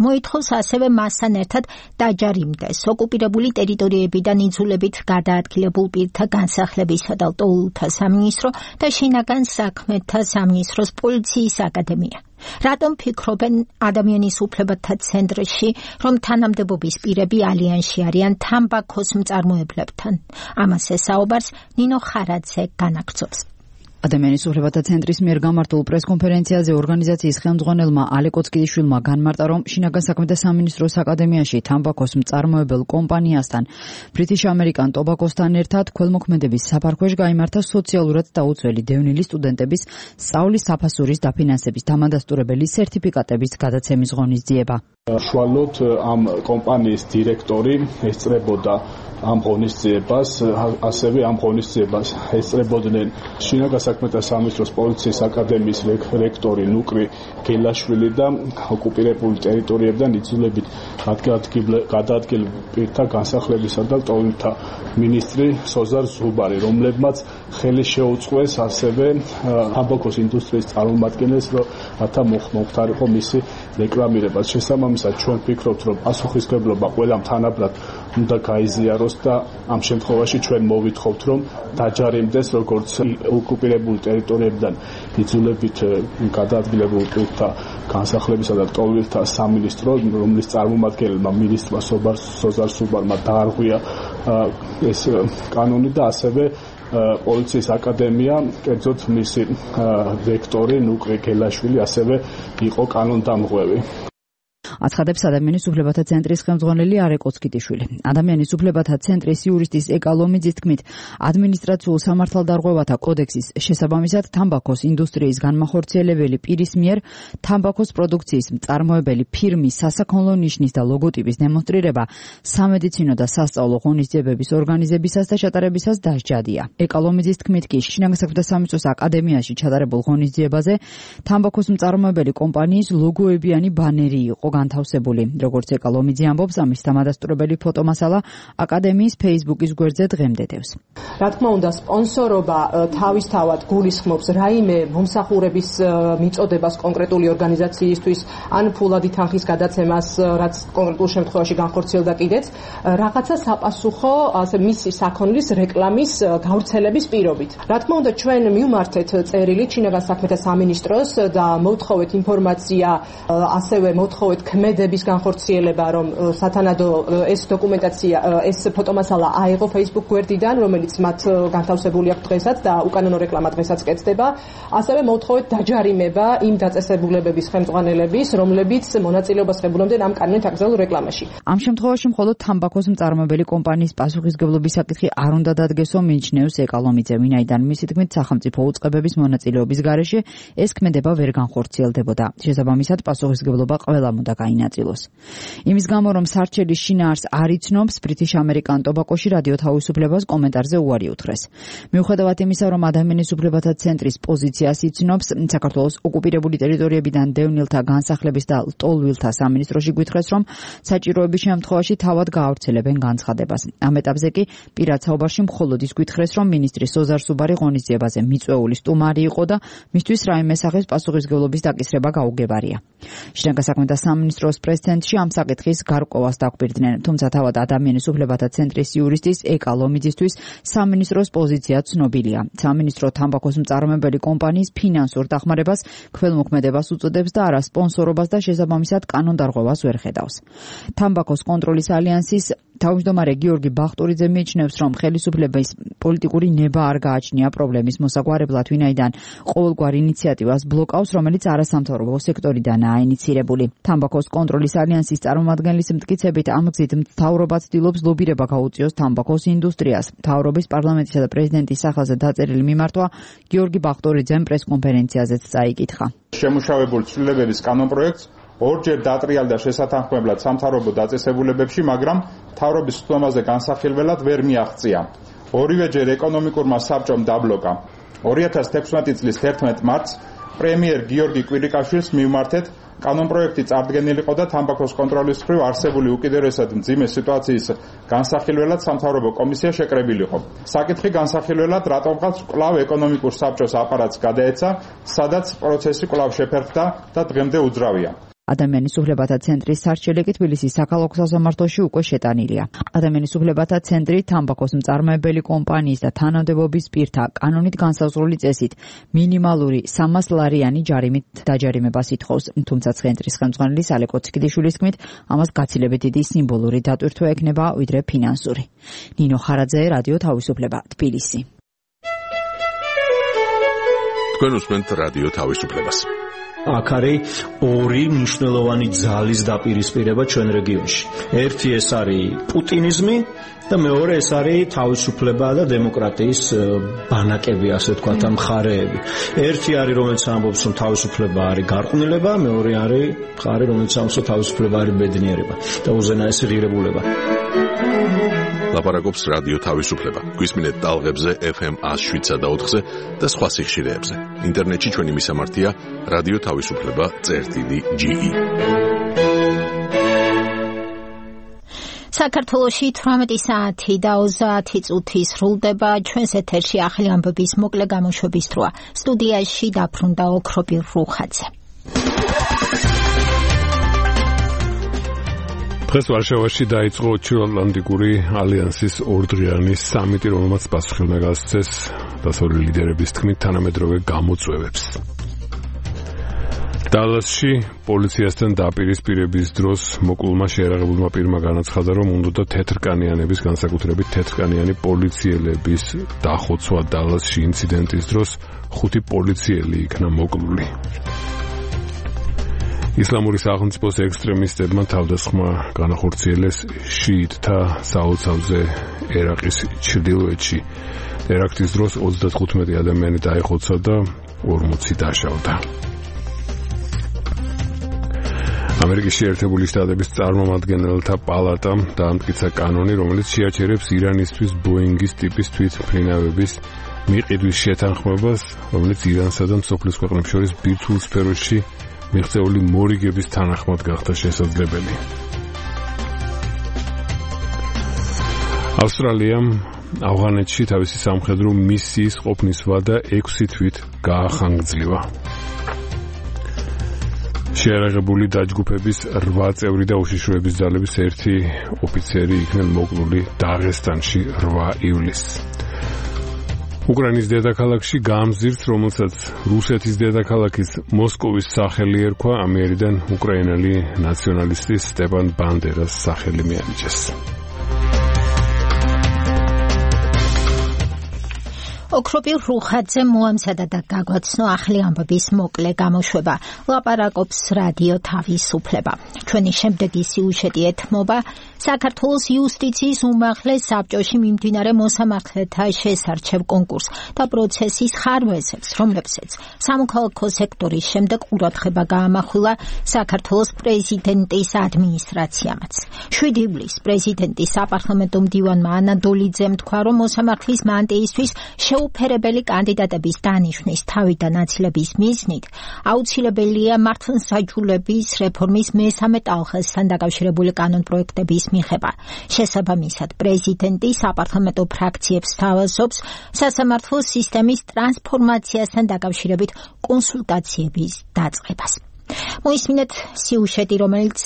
მოითხოვს ასევე მასთან ერთად დაჯარიმდეს ოკუპირებული ტერიტორიებიდან იძულებით გადაადგილებულ პირთა განსახლებისა და ლტოლვილთა სამინისტრო და შინაგან საქმეთა სამინისტროს პოლიციის აკადემია. რატომ ფიქრობენ ადამიანის უფლებათა ცენტრში, რომ თანამდებობის პირები ალიანსში არიან თამბაქოს მწარმოებლებთან? ამას ესაუბრებს ნინო ხარაძე განაგრძობს. ადამიანის უფლებათა ცენტრის მიერ გამართულ პრესკონფერენციაზე ორგანიზაციის ხელმძღვანელმა ალე კოცკიდიშვილმა განმარტა, რომ შინაგან საქმეთა სამინისტროს აკადემიაში თამბაქოს მწარმოებელ კომპანიასთან British American Tobacco-სთან ერთად ქველმოქმედების საფარქვეშ გაიმართა სოციალურად დაუცველი დევნილი სტუდენტების სწავლის საფასურის დაფინანსების დამადასტურებელი სერტიფიკატების გადაცემის ღონისძიება. Შუალოდ ამ კომპანიის დირექტორი ესწრებოდა ამ ღონისძიებას, ასევე ამ ღონისძიებას ესწრებოდნენ შინაგან საქმეთა სამინისტროს პოლიციის აკადემიის რექტორი ნუკრი გელაშვილი და ოკუპირებული ტერიტორიებიდან იძულებით გადაადგილ პირთა განსახლებისა და ლტოლვილთა მინისტრი სოზარ ზუბარი, რომლებმაც ხელი შეუწყეს ასევე თამბაქოს ინდუსტრიის წარმომადგენელს, რათა მოხდარიყო მისი რეკლამირება. შესაბამისად ჩვენ ვფიქრობთ, რომ პასუხისმგებლობა ყველამ თანაბრად უნდა გაიზიაროს და ამ შემთხვევაში ჩვენ მოვითხოვთ, რომ დაჯარიმდეს როგორც ოკუპირებული ტერიტორიებიდან იძულებით გადაადგილებულ პირთა განსახლებისა და ლტოლვილთა სამინისტრო, რომლის წარმომადგენელმა მინისტრმა სოზარ სუბარმა დაარღვია ეს კანონი და ასევე პოლიციის აკადემია, კერძოდ მისი რექტორი ნუკრი გელაშვილი ასევე იყო კანონდამღვევი. აცხადებს ადამიანის უფლებათა ცენტრის ხელმძღვანელი ალე კოცკიდიშვილი. ადამიანის უფლებათა ცენტრის იურისტის ეკა ლომიძის თქმით, ადმინისტრაციულ სამართალდარღვევათა კოდექსის შესაბამისად თამბაქოს ინდუსტრიის განმახორციელებელი პირის მიერ თამბაქოს პროდუქციის მწარმოებელი ფირმის სასაქონლო ნიშნის და ლოგოტიპის დემონსტრირება სამედიცინო და სასწავლო ღონისძიებების ორგანიზებისას და ჩატარებისას დასჯადია. ეკა ლომიძის თქმით კი შინაგან საქმეთა სამინისტროს აკადემიაში ჩატარებულ ღონისძიებაზე თამბაქოს მწარმოებელი კომპანიის ლოგოებიანი ბანერი იყო განთავსებული. როგორც ეკა ლომიძე ამბობს, ამის დამადასტურებელი ფოტომასალა აკადემიის Facebook-ის გვერდზე დღემდე დევს. რა თქმა უნდა, სპონსორობა თავისთავად გულისხმობს რაიმე მომსახურების მიწოდებას კონკრეტული ორგანიზაციისთვის, ან ფულადი თანხის გადაცემას, რაც კონკრეტულ შემთხვევაში განხორციელდა კიდეც, რაღაცა საპასუხო მისი საქონლის რეკლამის გავრცელების პირობით. რა თქმა უნდა, ჩვენ მივმართეთ წერილი შინაგან საქმეთა სამინისტროს და მოვთხოვეთ ინფორმაცია, ასევე მოვთხოვეთ ქმედების განხორციელება, რომ სათანადო ეს დოკუმენტაცია, ეს ფოტომასალა აიღო Facebook გვერდიდან, რომელიც მათ განთავსებული აქვს დღესაც და უკანონო რეკლამა დღესაც კეთდება. ასევე მოვთხოვეთ დაჯარიმება იმ დაწესებულებების ხელმძღვანელების, რომლებიც მონაწილეობას ღებულობდნენ ამ კანონით აკრძალულ რეკლამაში. ამ შემთხვევაში მხოლოდ თამბაქოს მწარმოებელი კომპანიის პასუხისმგებლობის საკითხი არ უნდა დადგესო, მიიჩნევს ეკა ლომიძე, ვინაიდან მისი თქმით სახელმწიფო უწყებების მონაწილეობის გარეშე ეს ქმედება ვერ განხორციელდებოდა. შესაბამისად პასუხისმგებლობა ყველამ უნდა გაინაწილოს. იმის გამო, რომ სარჩელის შინაარს არ იცნობს, British American Tobacco-ში რადიო თავისუფლებას კომენტარზე უარი უთხრეს. მიუხედავად იმისა, რომ ადამიანის უფლებათა ცენტრის პოზიციას იცნობს, საქართველოს ოკუპირებული ტერიტორიებიდან დევნილთა განსახლების და ლტოლვილთა სამინისტროში გვითხრეს, რომ საჭიროების შემთხვევაში თავად გაავრცელებენ განცხადებას. ამ ეტაპზე კი პირად საუბარში მხოლოდ ის გვითხრეს, რომ მინისტრი სოზარ სუბარი ღონისძიებაზე მიწვეული სტუმარი იყო და მისთვის რაიმე სახის პასუხისმგებლობის დაკისრება გაუგებარია. შინაგან საქმეთა სამინისტროს პრეს-ცენტრში ამ საკითხის გარკვევას დაგვირდნენ, თუმცა თავად ადამიანის უფლებათა ცენტრის იურისტის ეკა ლომიძისთვის სამინისტროს პოზიცია ცნობილია. სამინისტრო თამბაქოს მწარმოებელი კომპანიის ფინანსურ დახმარებას, ქველმოქმედებას უწოდებს და არა სპონსორობას და შესაბამისად კანონდარღვევას ვერ ხედავს. თამბაქოს კონტროლის ალიანსის თავმჯდომარე გიორგი ბახტურიძე მიიჩნევს, რომ ხელისუფლების პოლიტიკური ნება არ გააჩნია პრობლემის მოსაგვარებლად, ვინაიდან ყოველგვარ ინიციატივას ბლოკავს, რომელიც არასამთავრობო სექტორიდანაა ინიცირებული. თამბაქოს კონტროლის ალიანსის წარმომადგენლის მტკიცებით, ამ გზით მთავრობა ცდილობს ლობირება გაუწიოს თამბაქოს ინდუსტრიას. მთავრობის პარლამენტისა და პრეზიდენტის სახელზე დაწერილი მიმართვა გიორგი ბახტურიძემ პრესკონფერენციაზეც წაიკითხა. შემუშავებულ ცვლილებების კანონპროექტს ორჯერ დატრიალდა შესათანხმებლად სამთავრობო დაწესებულებებში, მაგრამ მთავრობის სხდომაზე განსახილველად ვერ მიაღწია. ორივეჯერ ეკონომიკურმა საბჭომ დაბლოკა. 2016 წლის 11 მარტს პრემიერ გიორგი კვირიკაშვილს მივმართეთ კანონპროექტი წარდგენილიყო და თამბაქოს კონტროლის მხრივ არსებული უკიდურესად მძიმე სიტუაციის განსახილველად სამთავრობო კომისია შეკრებილიყო. საკითხი განსახილველად რატომღაც კვლავ ეკონომიკურ საბჭოს აპარატს გადაეცა, სადაც პროცესი კვლავ შეფერხდა და დღემდე უძრავია. ადამიანის უფლებათა ცენტრის სარჩელი კი თბილისის საქალაქო სასამართლოში უკვე შეტანილია. ადამიანის უფლებათა ცენტრი თამბაქოს მწარმოებელი კომპანიის და თანამდებობის პირთა კანონით განსაზღვრული წესით მინიმალური 300 ლარიანი ჯარიმით დაჯარიმებას ითხოვს, თუმცა ცენტრის ხელმძღვანელის ალე კოცკიდიშვილის თქმით, ამას გაცილებით დიდი სიმბოლური დატვირთვა ექნება, ვიდრე ფინანსური. ნინო ხარაძე, რადიო თავისუფლება, თბილისი. თქვენ უსმენთ რადიო თავისუფლებას. აქ არის ორი მნიშვნელოვანი ძალის დაპირისპირება ჩვენ რეგიონში. ერთი ეს არის პუტინიზმი და მეორე ეს არის თავისუფლება და დემოკრატიის ბანაკები, ასე ვთქვათ, მხარეები. ერთი არის, რომელიც ამბობს, რომ თავისუფლება არის გარყვნილება, მეორე არის მხარე, რომელიც ამბობს, რომ თავისუფლება არის ბედნიერება და უზენაესი ღირებულება. ლაპარაკობს რადიო თავისუფლება. გვისმინეთ ტალღებზე FM 107.4-ზე და სხვა სიხშირეებზე. ინტერნეტში ჩვენი მისამართია რადიო თავისუფლება.ge. საქართველოში 18 საათი და 30 წუთი სრულდება. ჩვენს ეთერში ახალი ამბების მოკლე გამოშვების დროა. სტუდიაში დაბრუნდა ოქრობი რუხაძე. დღეს ვარშავაში დაიწყო ჩრდილოატლანტიკური ალიანსის ორდღიანი სამიტი, რომელმაც პასუხი გასცეს დასავლელი ლიდერების თქმით თანამედროვე გამოწვევებს. დალასში პოლიციასთან დაპირისპირების დროს მოკლულმა შეერაღებულმა პირმა განაცხადა, რომ უნდოდა თეთრკანიანების, განსაკუთრებით თეთრკანიანი პოლიციელების დახოცვა დალასში ინციდენტის დროს 5 პოლიციელი იქნა მოკლული. ისლამური სახელმწიფოს ექსტრემისტებმა თავდასხმა განახორციელეს შიიტთა საოცავზე ერაყის ჩრდილოეთში. ტერაქტის დროს 35 ადამიანი დაიხოცა და 40 დაშავდა. ამერიკის შეერთებული შტატების წარმომადგენელთა პალატამ დაამტკიცა კანონი, რომელიც შეაჩერებს ირანისთვის ბოინგის ტიპის თვითმფრინავების მიყიდვის შეთანხმებას, რომელიც ირანსა და მსოფლიოს ქვეყნებს შორის ბირთვულ სფეროში მიღწეული მორიგების თანახმად გახდა შესაძლებელი. ავსტრალიამ ავღანეთში თავისი სამხედრო მისიის ყოფნის ვადა 6 თვით გაახანგრძლივა. შეერაღებული დაჯგუფების 8 წევრი და უშიშროების ძალების 1 ოფიცერი იქნენ მოკლული დაღესტანში 8 ივლისს. უკრაინის დედაქალაქში გამზირს, რომელსაც რუსეთის დედაქალაქის მოსკოვის სახელი ერქვა, ამიერიდან უკრაინელი ნაციონალისტის სტეპან ბანდერას სახელი მიანიჭეს. ოქრობი რუხაძე მოამზადა და გაგვაცნო ახალი ამბების მოკლე გამოშვება. ლაპარაკობს რადიო თავისუფლება. ჩვენი შემდეგი სიუჟეტი ეთმობა საქართველოს იუსტიციის უმაღლეს საბჭოში მიმდინარე მოსამართლეთა შესარჩევ კონკურსს და პროცესის ხარვეზებს, რომლებსაც სამოქალაქო სექტორის შემდეგ ყურადღება გაამახვილა საქართველოს პრეზიდენტის ადმინისტრაციამაც. 7 ივლისს პრეზიდენტის საპარლამენტო მდივანმა ანადოლიძემ თქვა, რომ მოსამართლის მანტიისთვის შეუფერებელი კანდიდატების დანიშვნის თავიდან აცილების მიზნით აუცილებელია მართლმსაჯულების რეფორმის მესამე ტალღასთან დაკავშირებული კანონპროექტების მიღება. შესაბამისად, პრეზიდენტი საპარლამენტო ფრაქციებს სთავაზობს სასამართლო სისტემის ტრანსფორმაციასთან დაკავშირებით კონსულტაციების დაწყებას. მოისმინეთ სიუჟეტი, რომელიც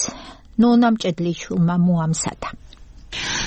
ნონა მჭედლიშვილმა მოამზადა.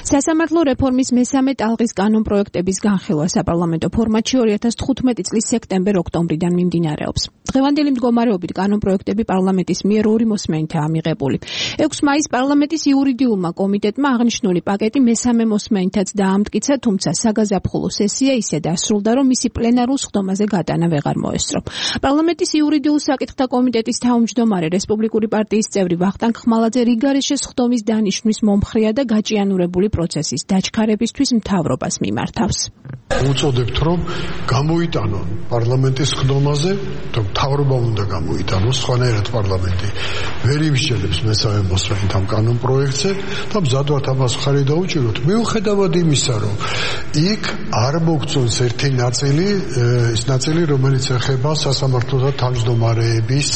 სასამართლო რეფორმის მესამე ტალღის კანონპროექტების განხილვა საპარლამენტო ფორმატში 2015 წლის სექტემბერ-ოქტომბრიდან მიმდინარეობს. დღევანდელი მდგომარეობით კანონპროექტები პარლამენტის მიერ 2 მოსმენითაა მიღებული. 6 მაისს პარლამენტის იურიდიულმა კომიტეტმა აღნიშნული პაკეტი მესამე მოსმენითაც დაამტკიცა, თუმცა საგაზაფხულო სესია ისე დასრულდა, რომ მისი პლენარულ სხდომაზე გატანა ვეღარ მოესწრო. პარლამენტის იურიდიულ საკითხთა კომიტეტის თავმჯდომარე რესპუბლიკური პარტიის წევრი ვახტანგ ხმალაძე რიგარეშე სხდომის დანიშვნის მომხრეა და გაჭიანურებული პროცესის დაჩქარებისთვის მთავრობას მიმართავს. უწოდებთ, რომ გამოიტანონ პარლამენტის სხდომაზე, თუ მთავრობა უნდა გამოიტანოს, სხვანაირად პარლამენტი ვერ იმსჯელებს მესამე მოსმენით ამ კანონპროექტზე და მზადვართ ამას მხარი დაუჭიროთ, მიუხედავად იმისა, რომ იქ არ მოგწონს ერთი ნაწილი, ის ნაწილი, რომელიც ეხება სასამართლოთა თავმჯდომარეების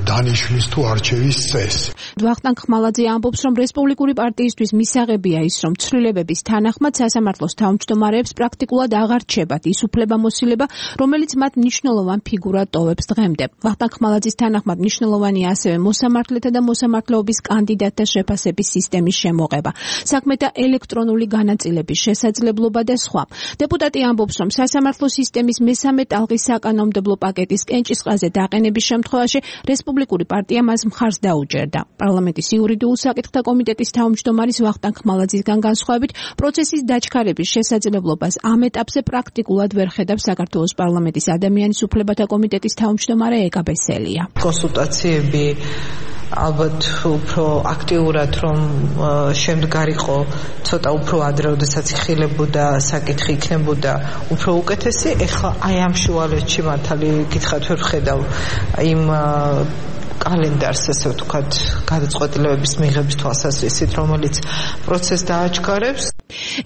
დანიშვნის თუ არჩევის წესს. ვახტანგ ხმალაძე ამბობს, რომ რესპუბლიკური პარტიისთვის მისაღებია ის, რომ ცვლილებების თანახმად სასამართლოს თავმჯდომარეებს პრაქტიკულად აღარ რჩებათ ის უფლებამოსილება, რომელიც მათ მნიშვნელოვან ფიგურად ტოვებს დღემდე. ვახტანგ ხმალაძის თანახმად მნიშვნელოვანია ასევე მოსამართლეთა და მოსამართლეობის კანდიდატთა შეფასების სისტემის შემოღება, საქმეთა ელექტრონული განაწილების შესაძლებლობა და სხვა. დეპუტატი ამბობს, რომ სასამართლო სისტემის მესამე ტალღის საკანონმდებლო პაკეტის კენჭისყრაზე დაყენების შემთხვევაში რესპუბლიკური პარტია მას მხარს დაუჭერდა. პარლამენტის იურიდიულ საკითხთა კომიტეტის თავმჯდომარის ვახტანგ ხმალაძისგან განსხვავებით, პროცესის დაჩქარების შესაძლებლობას ამ ეტაპზე პრაქტიკულად ვერ ხედავს საქართველოს პარლამენტის ადამიანის უფლებათა კომიტეტის თავმჯდომარე ეკა ბესელია. კონსულტაციები ალბათ უფრო აქტიურად რომ შემდგარიყო ცოტა უფრო ადრე, როდესაც იხილებოდა საკითხი იქნებოდა უფრო უკეთესი. ეხლა აი ამ შუალედში მართალი გითხრათ ვერ ვხედავ იმ კალენდარს, ესე ვთქვათ, გადაწყვეტილებების მიღების თვალსაზრისით, რომელიც პროცესს დააჩქარებს.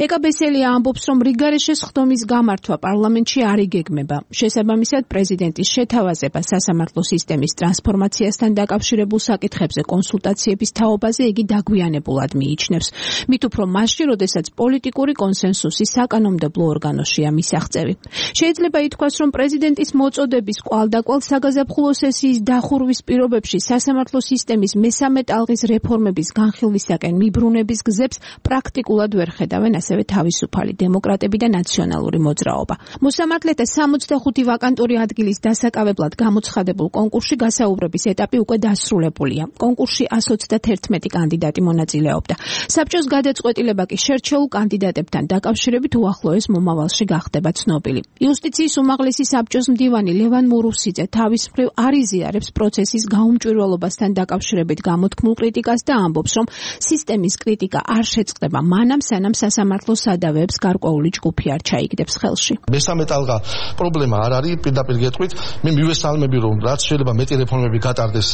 ეკა ბესელია ამბობს, რომ რიგარეშე სხდომის გამართვა პარლამენტში არ იგეგმება. შესაბამისად, პრეზიდენტის შეთავაზება სასამართლო სისტემის ტრანსფორმაციასთან დაკავშირებულ საკითხებზე კონსულტაციების თაობაზე იგი დაგვიანებულად მიიჩნევს. მით უფრო მასში, როდესაც პოლიტიკური კონსენსუსი საკანონმდებლო ორგანოშია მისაღწევი. შეიძლება ითქვას, რომ პრეზიდენტის მოწოდების კვალდაკვალ საგაზაფხულო სესიის დახურვის პირობებში სასამართლო სისტემის მესამე ტალღის რეფორმების განხილვისაკენ მიბრუნების გზებს პრაქტიკულად ვერ ხედავენ ასევე თავისუფალი დემოკრატები და ნაციონალური მოძრაობა. მოსამართლეთა 65 ვაკანტური ადგილის დასაკავებლად გამოცხადებულ კონკურსში გასაუბრების ეტაპი უკვე დასრულებულია. კონკურსში 121 კანდიდატი მონაწილეობდა. საბჭოს გადაწყვეტილება კი შერჩეულ კანდიდატებთან დაკავშირებით უახლოეს მომავალში გახდება ცნობილი. იუსტიციის უმაღლესი საბჭოს მდივანი ლევან მურუსიძე თავის მხრივ არ იზიარებს პროცესის გაუმჭვირვალობასთან დაკავშირებით გამოთქმულ კრიტიკას და ამბობს, რომ სისტემის კრიტიკა არ შეწყდება მანამ, სანამ სასამართლო სადავეებს გარკვეული ჯგუფი არ ჩაიგდებს ხელში. მესამე ტალღა პრობლემა არ არის, პირდაპირ გეტყვით, მე მივესალმები, რომ რაც შეიძლება მეტი რეფორმები გატარდეს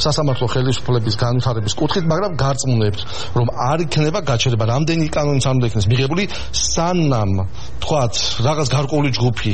სასამართლო ხელისუფლების განვითარების კუთხით, მაგრამ გარწმუნებთ, რომ არ იქნება გაჩერება, რამდენი კანონიც არ უნდა იქნეს მიღებული, სანამ თქვათ, რაღაც გარკვეული ჯგუფი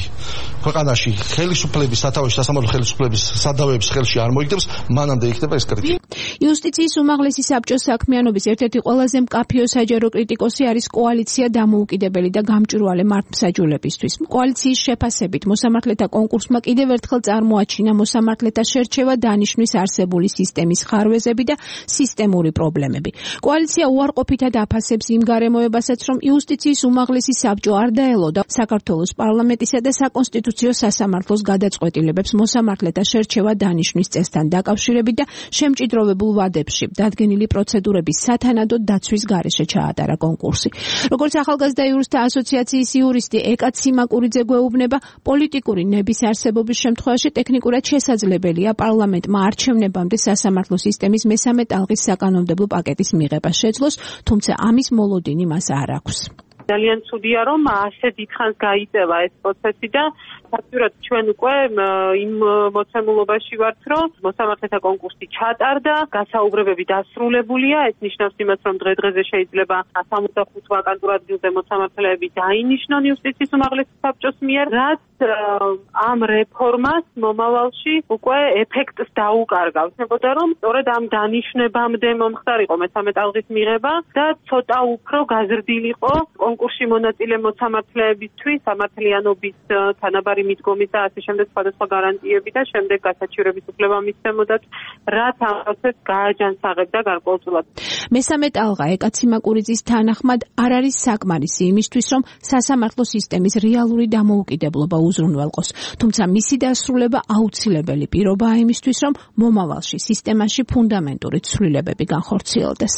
ქვეყანაში ხელისუფლების სათავეში სასამართლო ხელისუფლების სადავეებს ხელში არ მოიგდებს, მანამდე იქნება ეს კრიტიკა. იუსტიციის უმაღლესი საბჭოს საქმიანობის ერთ-ერთი ყველაზე მკაფიო საჯარო კრიტიკოსი არის კოალიცია დამოუკიდებელი და გამჭვირვალე მართლმსაჯულებისთვის. კოალიციის შეფასებით მოსამართლეთა კონკურსმა კიდევ ერთხელ წარმოაჩინა მოსამართლეთა შერჩევა დანიშვნის არსებული სისტემის ხარვეზები და სისტემური პრობლემები. კოალიცია უარყოფითად აფასებს იმ გარემოებასაც, რომ იუსტიციის უმაღლესი საბჭო არ დაელოდა საქართველოს პარლამენტისა და საკონსტიტუციო სასამართლოს გადაწყვეტილებებს მოსამართლეთა შერჩევა დანიშვნის წესთან დაკავშირებით და შემჭიდროვებულ ვადებში დადგენილი პროცედურების სათანადო დაცვის გარეშე ჩაატარა კონკურსი. როგორც ახალგაზრდა იურისტთა ასოციაციის იურისტი ეკა ციმაკურიძე გვეუბნება, პოლიტიკური ნების არსებობის შემთხვევაში ტექნიკურად შესაძლებელია პარლამენტმა არჩევნებამდე სასამართლო სისტემის მესამე ტალღის საკანონმდებლო პაკეტის მიღება შეძლოს, თუმცა ამის მოლოდინი მას არ აქვს. ძალიან ცუდია, რომ ასე დიდხანს გაიწევა ეს პროცესი და ფაქტურად ჩვენ უკვე იმ მოცემულობაში ვართ, რომ მოსამართლეთა კონკურსი ჩატარდა, გასაუბრებები დასრულებულია, ეს ნიშნავს იმას, რომ დღე-დღეზე შეიძლება 65 ვაკანტურ ადგილზე მოსამართლეები დაინიშნონ იუსტიციის უმაღლესი საბჭოს მიერ, რაც ამ რეფორმას მომავალში უკვე ეფექტს დაუკარგავს. ნებოდა რომ სწორედ ამ დანიშნებამდე მომხდარიყო მესამე ტალღის მიღება და ცოტა უფრო გაზრდილიყო კონკურსში მონაწილე მოსამართლეებისთვის სამართლიანობის თანაბარი მიდგომის და ასე შემდეგ სხვადასხვა გარანტიები და შემდეგ გასაჩივრების უფლება მისცემოდათ, რაც ამ პროცესს გააჯანსაღებდა გარკვეულწილად. მესამე ტალღა ეკა ციმაკურიძის თანახმად არ არის საკმარისი იმისთვის, რომ სასამართლო სისტემის რეალური დამოუკიდებლობა უზრუნველყოს. თუმცა მისი დასრულება აუცილებელი პირობაა იმისთვის, რომ მომავალში სისტემაში ფუნდამენტური ცვლილებები განხორციელდეს.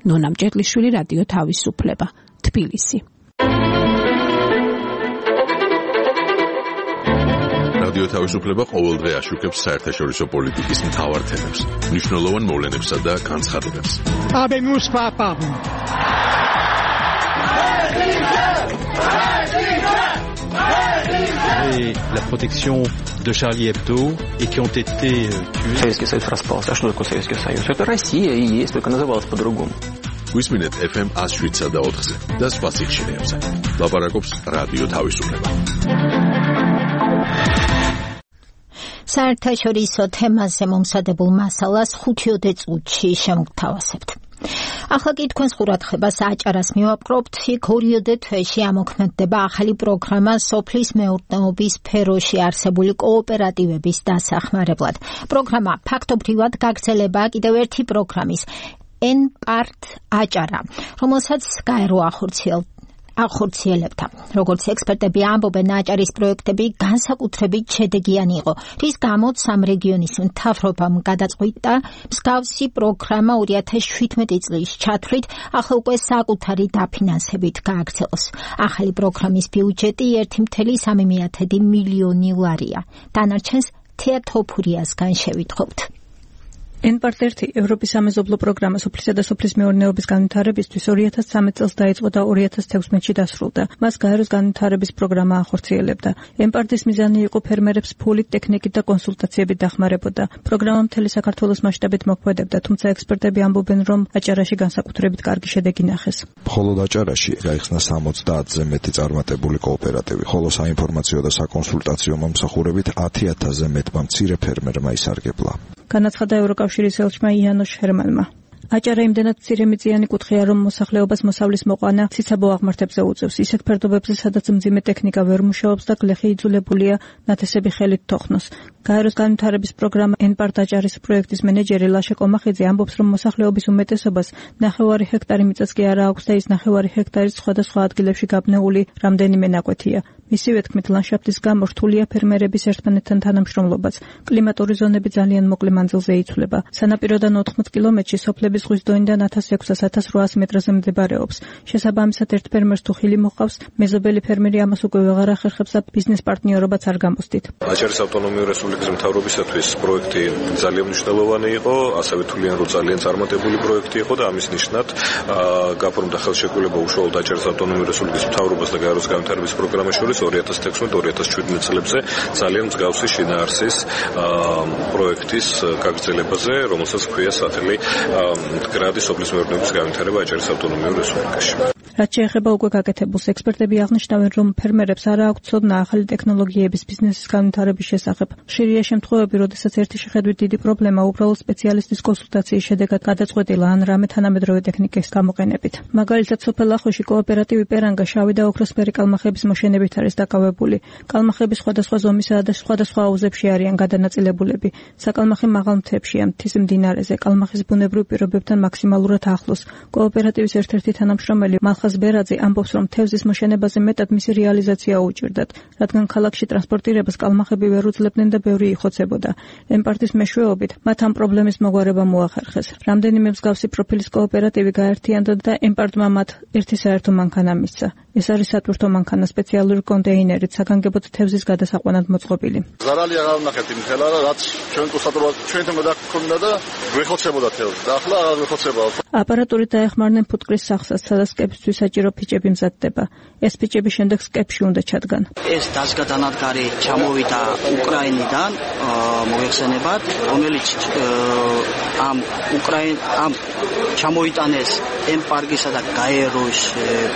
ნონა მჭედლიშვილი, რადიო თავისუფლება, თბილისი. რადიო თავისუფლება ყოველდღე აშუქებს საერთაშორისო პოლიტიკის მთავარ თემებს, მნიშვნელოვან მოვლენებსა და განცხადებებს. Habemus papam. Et la protection de Charlie Hebdo et qui ont été tués. Советский Союз распался. А что такое Советский Союз? Это Россия и есть, только называлась по-другому. გვისმინეთ FM 107 და 4-ზე და სხვა სიხშირეებზე. ლაპარაკობს რადიო თავისუფლება. საერთაშორისო თემაზე მომზადებულ მასალას 5 წუთში შემოგთავაზებთ. ახლა კი თქვენს ყურადღებას აჭარას მივაპყრობთ. იქ 2 თვეში ამოქმედდება ახალი პროგრამა სოფლის მეურნეობის სფეროში არსებული კოოპერატივების დასახმარებლად. პროგრამა ფაქტობრივად გაგრძელება კიდევ ერთი პროგრამის N-Part აჭარა, რომელსაც გაერო ახორციელებდა. როგორც ექსპერტები ამბობენ, აჭარის პროექტები განსაკუთრებით შედეგიანი იყო, რის გამოც ამ რეგიონის მთავრობამ გადაწყვიტა მსგავსი პროგრამა 2017 წლის ჩათვლით ახლა უკვე საკუთარი დაფინანსებით გააგრძელოს. ახალი პროგრამის ბიუჯეტი 1,3 მილიონი ლარია. დანარჩენს თეატოფურიასგან შევითხოვთ. N-Part-1 ევროპის სამეზობლო პროგრამა სოფლისა და სოფლის მეურნეობის განვითარებისთვის 2013 წელს დაიწყო და 2016-ში დასრულდა. მას გაეროს განვითარების პროგრამა ახორციელებდა. N-Part-ის მიზანი იყო ფერმერებს ფულით, ტექნიკით და კონსულტაციებით დახმარებოდა. პროგრამა მთელი საქართველოს მასშტაბით მოქმედებდა, თუმცა ექსპერტები ამბობენ, რომ აჭარაში განსაკუთრებით კარგი შედეგი ნახეს. მხოლოდ აჭარაში გაიხსნა 70-ზე მეტი წარმატებული კოოპერატივი, ხოლო საინფორმაციო და საკონსულტაციო მომსახურებით 10,000-ზე მეტმა მცირე ფერმერმა ისარგებლა. განაცხადა ევროკავშირის ელჩმა იანოშ ჰერმანმა. აჭარა იმდენად მცირემიწიანი კუთხეა, რომ მოსახლეობას მოსავლის მოყვანა ციცაბო აღმართებზე უწევს. ისეთ ფერდობებზე, სადაც მძიმე ტექნიკა ვერ მუშაობს და გლეხი იძულებულია ნათესები ხელით თოხნოს. გაეროს განვითარების პროგრამა N-Part აჭარის პროექტის მენეჯერი ლაშა კომახიძე ამბობს, რომ მოსახლეობის უმეტესობას 9 ჰექტარი მიწაც კი არა აქვს და ის 9 ჰექტარი სხვადასხვა ადგილებში გაბნეული რამდენიმე ნაკვეთია. მისივე თქმით, ლანდშაფტის გამო რთულია ფერმერების ერთმანეთთან თანამშრომლობაც. კლიმატური ზონები ძალიან მოკლე მანძილზე იცვლება. სანაპიროდან 80 კილომეტრში სოფლების ზღვის დონიდან 1600-1800 მეტრზე მდებარეობს. შესაბამისად, ერთ ფერმერს თუ ხილი მოყავს, მეზობელი ფერმერი ამას უკვე ვეღარ ახერხებს და ბიზნეს პარტნიორობაც არ გამოსდით. აჭარის ავტონომიური რესპუბლიკის მთავრობისათვის პროექტი ძალიან მნიშვნელოვანი იყო, ასევე თვლიან, რომ ძალიან წარმატებული პროექტი იყო და ამის ნიშნად გაფორმდა ხელშეკრულება უშუალოდ აჭარის ავტონომიური რესპუბლიკის მთავრობას და გაეროს განვითარების პროგრამას შორის 2016-2017 წლებზე ძალიან მსგავსი შინაარსის პროექტის გაგრძელებაზე, რომელსაც ჰქვია სახელი მდგრადი სოფლის მეურნეობის განვითარება აჭარის ავტონომიურ რესპუბლიკაში. რაც შეეხება უკვე გაკეთებულს, ექსპერტები აღნიშნავენ, რომ ფერმერებს არ აქვს ცოდნა ახალი ტექნოლოგიების ბიზნესის განვითარების შესახებ. ხშირია შემთხვევები, როდესაც ერთი შეხედვით დიდი პრობლემა უბრალოდ სპეციალისტის კონსულტაციის შედეგად გადაწყვეტილა ან რამე თანამედროვე ტექნიკის გამოყენებით. მაგალითად, სოფელ ახოში კოოპერატივი პერანგა შავი და ოქროსფერი კალმახების მოშენებით არის დაკავებული. კალმახები სხვადასხვა ზომისაა და სხვადასხვა აუზებში არიან გადანაწილებულები. საკალმახი მაღალ მთებშია, მთის მდინარეზე, კალმახის ბუნებრივ პირობებთან მაქსიმალურად ახლოს. კოოპერატივის ერთ-ერთი თანამშრომელი მალხაზ ბერაძე ამბობს, რომ თევზის მოშენებაზე მეტად მისი რეალიზაცია უჭირდათ, რადგან ქალაქში ტრანსპორტირებას კალმახები ვერ უძლებდნენ და ბევრი იხოცებოდა. N-Part-ის მეშვეობით მათ ამ პრობლემის მოგვარება მოახერხეს. რამდენიმე მსგავსი პროფილის კოოპერატივი გაერთიანდა და N-Part-მა მათ ერთი საერთო მანქანა მისცა. ეს არის სატვირთო მანქანა სპეციალური კონტეინერით საგანგებოდ თევზის გადასაყვანად მოწყობილი. ზარალი აღარ ვნახეთ იმ ხელა, რაც ჩვენ ჩვენთან გადაგქონდა და გვეხოცებოდა თევზი. და ახლა აღარ გვეხოცება. აპარატურით დაეხმარნენ ფუტკრის სახსას, სადაც სკეპისთვის საჭირო ფიჭები მზადდება. ეს ფიჭები შემდეგ სკეპში უნდა ჩადგან. ეს დაზგადანადგარი ჩამოვიდა უკრაინიდან მოიხსენებათ, რომელიც ამ ჩამოიტანეს N-Part-ისა და გაეროს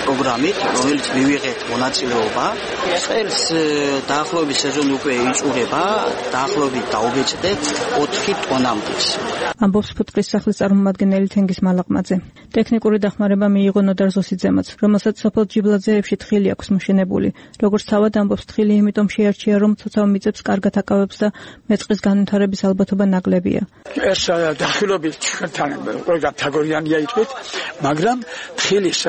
პროგრამით, რომელიც მივიღეთ მონაწილეობა. წელს დაახლოებით სეზონი უკვე იწურება, დაახლოებით დაუგეჭდეთ 4 ტონამდე. ამბობს ფუტკრის სახლის წარმომადგენელი თენგის მალაყმაძე. ტექნიკური დახმარება მიიღო ნოდარ ზოსიძემაც, რომელსაც სოფელ ჯიბლაძეებში თხილი აქვს მოშენებული. როგორც თავად ამბობს, თხილი იმიტომ შეარჩია, რომ ცოცავ მიწებს კარგად აკავებს და მეწყრის განვითარების ალბათობა ნაკლებია. ეს დაახლოებით ჩვენთან ყველგან თაგორიანია ითქვით, მაგრამ თხილის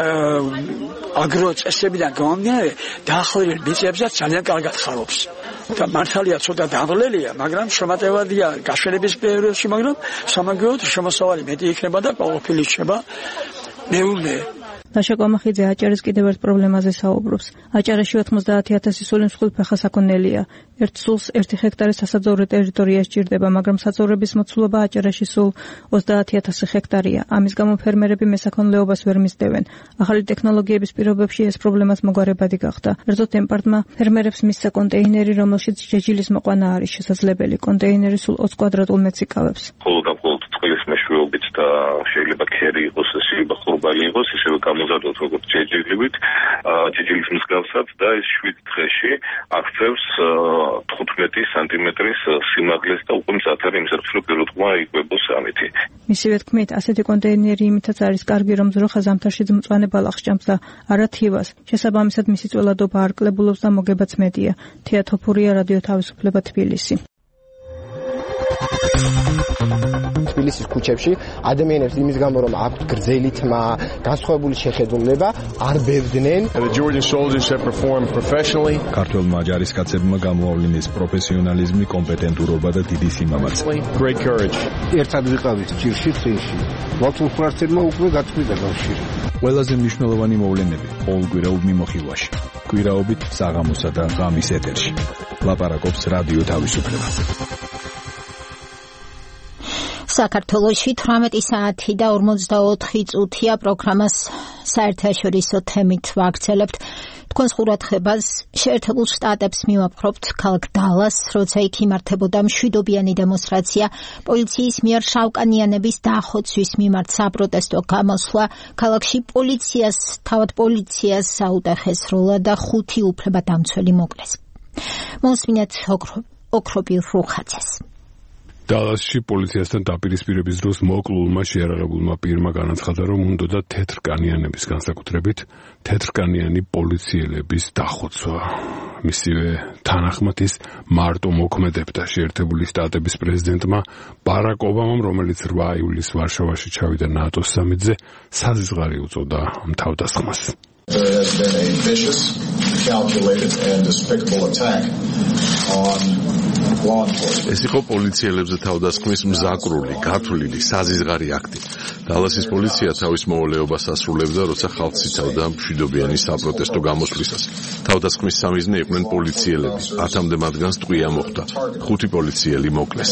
აგროწესებიდან გამომდინარე დაახლოებით მიწებსაც ძალიან კარგად ხარობს. და მართალია ცოტა დაღლელია, მაგრამ შემატევადია გაშვენების პერიოდში, მაგრამ სამაგიეროდ შემოსავალი მეტი იქნება და ყოფილი იქნება მეულე. ლაშა კომახიძე აჭარის კიდევ ერთ პრობლემაზე საუბრობს. აჭარაში 90,000 სული მსხვილფეხა საქონელია. ერთ სულს 1 ჰექტარი სასაძოვრო ტერიტორია სჭირდება, მაგრამ საძოვრების მოცულობა აჭარაში სულ 30,000 ჰექტარია. ამის გამო ფერმერები მესაქონლეობას ვერ მისდევენ. ახალი ტექნოლოგიების პირობებში ეს პრობლემას მოგვარებადი გახდა. ერთოდ N-Part-მა ფერმერებს მისცა კონტეინერი, რომელშიც ჯეჯილის მოყვანა არის შესაძლებელი. კონტეინერი სულ 20 კვადრატულ მეტრს იკავებს. წყლის მეშვეობით და შეიძლება ქერი იყოს, შეიძლება ხურბალი იყოს, ისევე გამოზარდოთ როგორც ჯეჯილივით, ჯეჯილის მსგავსად და ეს 7 დღეში აღწევს 15 სანტიმეტრის სიმაღლეს და უკვე მზად არის იმისათვის, რომ პირუტყმა იკვებოს ამითი. მისივე თქმით, ასეთი კონტეინერი იმითაც არის კარგი, რომ ძროხა ზამთარშიც მწვანე ბალახს ჭამს და არა თივას. შესაბამისად მისი წველადობა არ კლებულობს და მოგებაც მეტია. თეატოფურია, რადიო თავისუფლება, თბილისი. თბილისის ქუჩებში ადამიანებს იმის გამო რომ აქვთ გრძელი თმა, განსხვავებული შეხედულება, არ ბევდნენ. ქართველმა ჯარისკაცებმა გამოავლინეს პროფესიონალიზმი, კომპეტენტურობა და დიდი სიმამაცე. ერთად ვიყავით ჭირში წინში. ვაკულფრასერმა უკვე გაწყვიტა კავშირი. ყველაზე მნიშვნელოვანი მოვლენები ყოველკვირეულ მიმოხილვაში. კვირაობით საღამოსა და ღამის ეთერში. ლაპარაკობს რადიო თავისუფლება. საქართველოში 18 საათი და 44 წუთია პროგრამას საერთაშორისო თემით ვაგრძელებთ. თქვენს ყურადღებას შეერთებულ შტატებს მივაპყრობთ ქალაქ დალას, როცა იქ იმართებოდა მშვიდობიანი დემონსტრაცია პოლიციის მიერ შავკანიანების დახოცვის მიმართ საპროტესტო გამოსვლა. ქალაქში თავად პოლიციას აუტახეს როლა და 5 უფლებადამცველი მოკლეს. მოსმინეთ ოქროპირ რუხაძეს. დალასში პოლიციასთან დაპირისპირების დროს მოკლულმა შეიარაღებულმა პირმა განაცხადა, რომ უნდოდა თეთრკანიანების განსაკუთრებით თეთრკანიანი პოლიციელების დახოცვა. მისივე თანახმად ის მარტო მოქმედებდა შეერთებული შტატების პრეზიდენტმა ბარაკ ობამამ, რომელიც 8 ივლისს ვარშავაში ჩავიდა ნატოს სამიტზე, საზღარი უწოდა ამ თავდასხმას. There has been a vicious, calculated and despicable attack on law enforcement. ეს იყო პოლიციელებზე თავდასხმის მზაკრული, გათვლილი, საზღარი აქტი. დალასის პოლიცია თავის მოვალეობას ასრულებდა, როცა ხალხს იცავდა მშვიდობიანი საპროტესტო გამოსვლისას. თავდასხმის სამიზნე იყვნენ პოლიციელები. 10-მდე მათგანს ტყვია მოხდა. 5 პოლიციელი მოკლეს.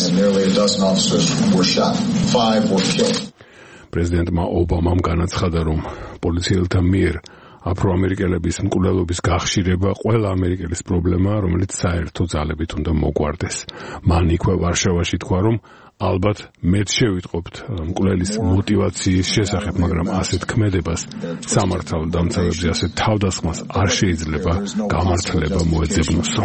პრეზიდენტმა ობამამ განაცხადა, რომ პოლიციელთა მიერ აფროამერიკელების მკვლელობის გახშირება ყველა ამერიკელის პრობლემაა, რომელიც საერთო ძალებით უნდა მოგვარდეს. მან იქვე ვარშავაში თქვა, რომ ალბათ მეც შევიტყობთ მკვლელის მოტივაციის შესახებ, მაგრამ ასეთ ქმედებას სამართალ დამცავებზე ასეთ თავდასხმას არ შეიძლება გამართლება მოეძებნოსო.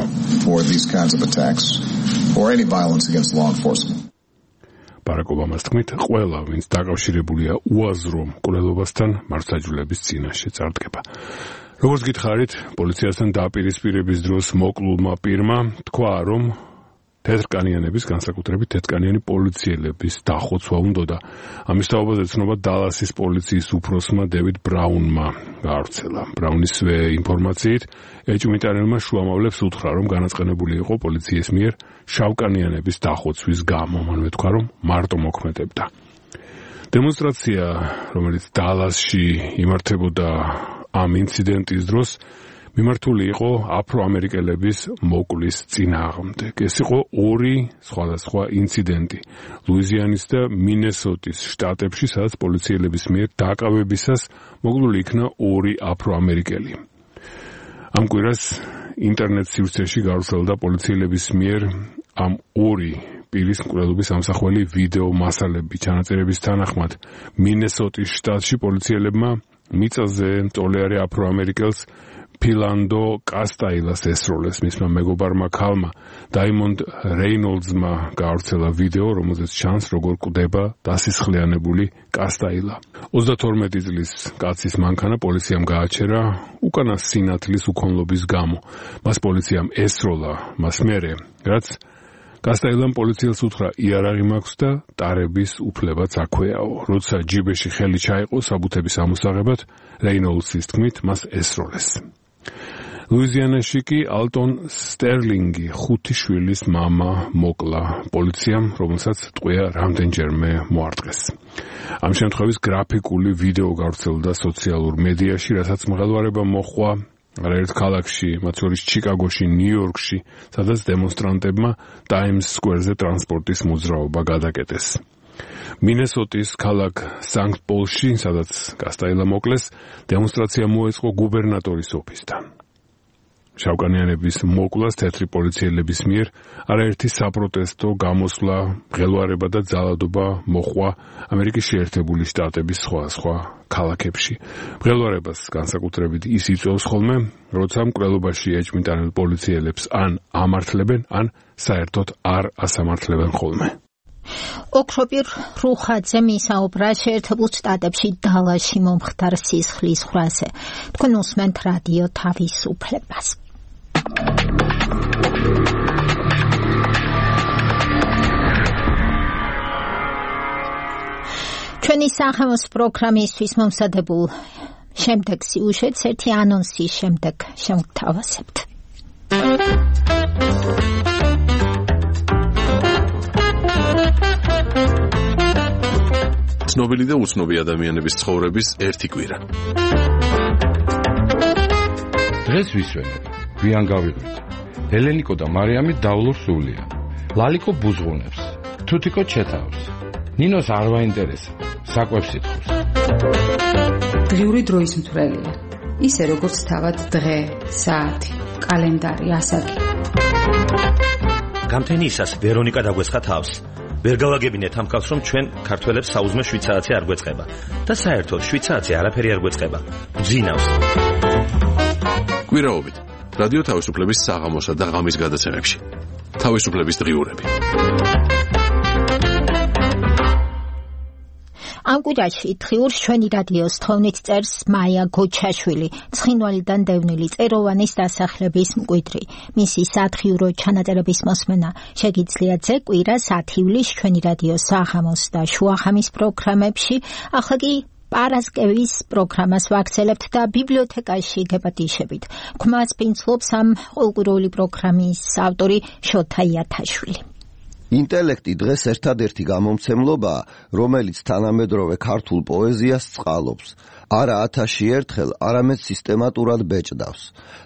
ბარაკ ობამას თქმით, ყველა, ვინც დაკავშირებულია უაზრო მკვლელობასთან, მართლმსაჯულების წინაშე წარდგება. როგორც გითხარით, პოლიციასთან დაპირისპირების დროს მოკლულმა პირმა თქვა, რომ თეთრკანიანების, განსაკუთრებით თეთრკანიანი პოლიციელების დახოცვა უნდოდა. ამის თაობაზე ცნობა დალასის პოლიციის უფროსმა დევიდ ბრაუნმა გაავრცელა. ბრაუნისვე ინფორმაციით, ეჭვმიტანელმა შუამავლებს უთხრა, რომ განაწყენებული იყო პოლიციის მიერ შავკანიანების დახოცვის გამო. მან მეთქვა, რომ მარტო მოქმედებდა. დემონსტრაცია, რომელიც დალასში იმართებოდა ამ ინციდენტის დროს, მიმართული იყო აფროამერიკელების მოკლის წინააღმდეგ. ეს იყო 2 სხვადასხვა ინციდენტი ლუიზიანის და მინესოტის შტატებში, სადაც პოლიციელების მიერ დაკავებისას მოკლული იქნა 2 აფროამერიკელი. ამ კვირას ინტერნეტ სივრცეში გავრცელდა პოლიციელების მიერ ამ 2 პირის მკვლელობის ამსახველი ვიდეო მასალები. ჩანაწერების თანახმად, მინესოტის შტატში პოლიციელებმა მიწაზე მწოლიარე აფროამერიკელს ფილანდო კასტაილას ესროლეს. მისმა მეგობარმა ქალმა დაიმონდ რეინოლდსმა გაავრცელა ვიდეო, რომელზეც ჩანს, როგორ კვდება დასისხლიანებული კასტაილა. 32 წლის კაცის მანქანა პოლიციამ გააჩერა უკანა სინათლის უქონლობის გამო. მას პოლიციამ ესროლა მას მერე, რაც კასტაილამ პოლიციელს უთხრა, იარაღი მაქვს და ტარების უფლებაც აქვეაო. როცა ჯიბეში ხელი ჩაიყო საბუთების ამოსაღებად, რეინოლდსის თქმით, მას ესროლეს. ლუიზიანაში კი ალტონ სტერლინგი 5 შვილის მამა მოკლა პოლიციამ, რომელსაც ტყვია რამდენჯერმე მოარტყეს. ამ შემთხვევის გრაფიკული ვიდეო გავრცელდა სოციალურ მედიაში, რასაც მღელვარება მოჰყვა არაერთ ქალაქში, მათ შორის ჩიკაგოში, ნიუ-იორკში, სადაც დემონსტრანტებმა ტაიმს სკვერზე ტრანსპორტის მოძრაობა გადაკეტეს. მინესოტის ქალაქ სანქტ-პოლში, სადაც კასტაილა მოკლეს, დემონსტრაცია მოეწყო გუბერნატორის ოფისთან. შავკანიანების მოკლას თეთრი პოლიციელების მიერ არაერთი საპროტესტო გამოსვლა, მღელვარება და ძალადობა მოჰყვა ამერიკის შეერთებული შტატების სხვადასხვა ქალაქებში. მღელვარებას განსაკუთრებით ის იწვევს ხოლმე, როცა მკვლელობაში ეჭვმიტანილ პოლიციელებს ან ამართლებენ, ან საერთოდ არ ასამართლებენ ხოლმე. ოქროპირ რუხაძე მისაუბრა შეერთებულ შტატებში დალასში მომხდარ სისხლის ხრაზე. თქვენ უსმენთ რადიო თავისუფლებას. ჩვენი სახელმოს პროგრამისთვის მომზადებულ შემდეგ სიუჟეტს ერთი ანონსის შემდეგ შევთავაზებთ. ცნობილი და უცნობი ადამიანების ცხოვრების ერთი კვირა. დღეს ვისვენებ, გვიან გავიღვით. ელენიკო და მარიამი დავლურ სულია. ლალიკო ბუზღუნებს, თუთიკო ჩეთავს. ნინოს არ ვაინტერესა, საკვებს ითხოვს. დღიური დროის მთვრელია. ისე როგორც თავად დღე, საათი, კალენდარი, ასაკი. გამთენიისას ვერონიკა დაგვეცხა თავს. ვერ გავაგებინეთ ამ კაცს, რომ ჩვენ ქართველებს საუზმე 7 საათი არ გვეწყება და საერთოდ 7 საათი არაფერი არ გვეწყება. გძინავს. კვირაობით რადიო თავისუფლების საღამოსა და ღამის გადაცემებში. თავისუფლების დღიურები. ამ კვირაში დღიურს ჩვენი რადიოს თხოვნით წერს მაია გოჩაშვილი, ცხინვალიდან დევნილი წეროვანის დასახლების მკვიდრი. მისი სათხიურო ჩანაწერების მოსმენა შეგიძლიათ ძე კვირას 10 ივლისს ჩვენი რადიოს საღამოს და შუახამის პროგრამებში. ახლა კი პარასკევის პროგრამას ვაგრძელებთ და ბიბლიოთეკაში გეპატიშებით. ქმას ფინცლობს ამ ყოველკვირეული პროგრამის ავტორი შოთა იათაშვილი. ინტელექტი დღეს ერთადერთი გამომცემლობაა, რომელიც თანამედროვე ქართულ პოეზიას წყალობს. არა 1000 ერთხელ, არამედ სისტემატურად ბეჭდავს.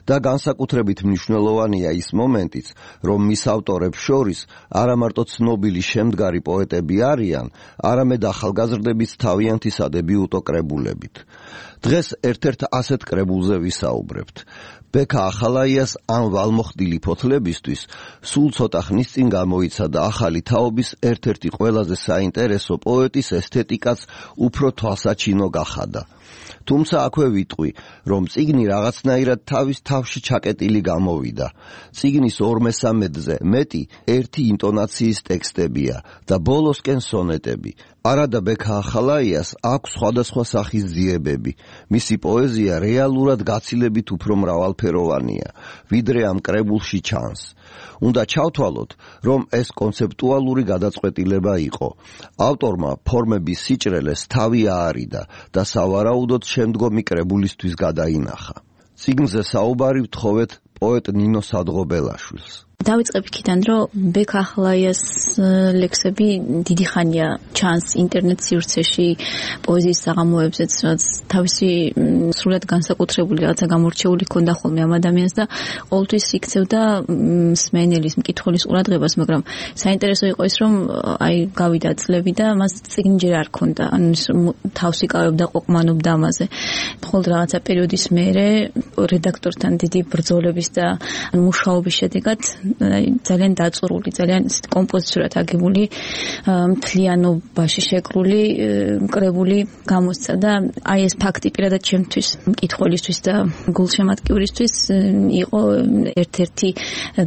და განსაკუთრებით მნიშვნელოვანია ის მომენტიც, რომ მის ავტორებს შორის არა მარტო ცნობილი შემდგარი პოეტები არიან, არამედ ახალგაზრდების თავიანთი სადებიუტო კრებულებით. დღეს ერთ-ერთ ასეთ კრებულზე ვისაუბრებთ. ბექა ახალაიას ამ ვალმოხდილი ფოთლებისთვის სულ ცოტა ხნის წინ გამოიცადა ახალი თაობის ერთ-ერთი ყველაზე საინტერესო პოეტის ესთეტიკაც უფრო თვალსაჩინო გახადა. თუმცა აქვე ვიტყვი, რომ წიგნი რაღაცნაირად თავის თავში ჩაკეტილი გამოვიდა. წიგნის 2/3-ზე მეტი ერთი ინტონაციის ტექსტებია და ბოლოსკენ სონეტები. არადა ბექა ახალაიას აქვს სხვადასხვა სახის ძიებები. მისი პოეზია რეალურად გაცილებით უფრო მრავალფეროვანია, ვიდრე ამ კრებულში ჩანს. უნდა ჩავთვალოთ, რომ ეს კონცეპტუალური გადაწყვეტილება იყო. ავტორმა ფორმების სიჭრელეს თავი აარიდა და სავარაუდოდ შემდგომი კრებულისთვის გადაინახა. წიგნზე საუბარი ვთხოვეთ პოეტ ნინო სადღობელაშვილს. დავიწყებ იქიდან, რომ ბექა ახალაიას ლექსები დიდი ხანია ჩანს ინტერნეტ სივრცეში, პოეზიის საღამოებზეც, რაც თავისი სრულად განსაკუთრებული რაღაცა გამორჩეული ქონდა ხოლმე ამ ადამიანს და ყოველთვის იქცევდა მსმენელის, მკითხველის ყურადღებას, მაგრამ საინტერესო იყო ის, რომ აი გავიდა წლები და მას წიგნი ჯერ არ ქონდა, ანუ თავს იკავებდა, ყოყმანობდა ამაზე. მხოლოდ რაღაცა პერიოდის მერე რედაქტორთან დიდი ბრძოლების და მუშაობის შედეგად ძალიან დაწურული, ძალიან კომპოზიციურად აგებული, მთლიანობაში შეკრული კრებული გამოსცა და აი ეს ფაქტი პირადად ჩემთვის, მკითხველისთვის და გულშემატკივრისთვის იყო ერთ-ერთი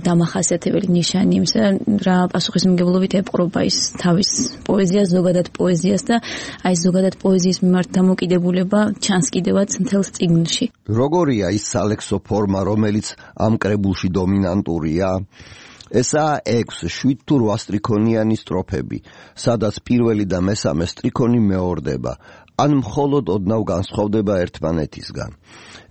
დამახასიათებელი ნიშანი იმისა, რა პასუხისმგებლობით ეპყრობა ის თავის პოეზიას, ზოგადად პოეზიას და აი ზოგადად პოეზიის მიმართ დამოკიდებულება ჩანს კიდევაც მთელს წიგნში. როგორია ის სალექსო ფორმა, რომელიც ამ კრებულში დომინანტურია? ესაა 6, 7 თუ 8 სტრიქონიანი სტროფები, სადაც პირველი და მესამე სტრიქონი მეორდება, ან მხოლოდ ოდნავ განსხვავდება ერთმანეთისგან.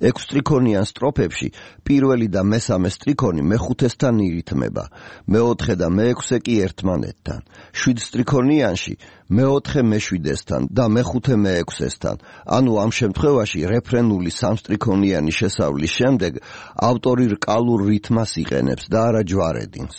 6 სტრიქონიან სტროფებში პირველი და მესამე სტრიქონი მეხუთესთან ირითმება, მეოთხე და მეექვსე კი ერთმანეთთან. 7 სტრიქონიანში მეოთხე მეშვიდესთან და მეხუთე მეექვსესთან. ანუ ამ შემთხვევაში რეფრენული სამსტრიქონიანი შესავლის შემდეგ ავტორი რკალურ რითმას იყენებს და არა ჯვარედინს.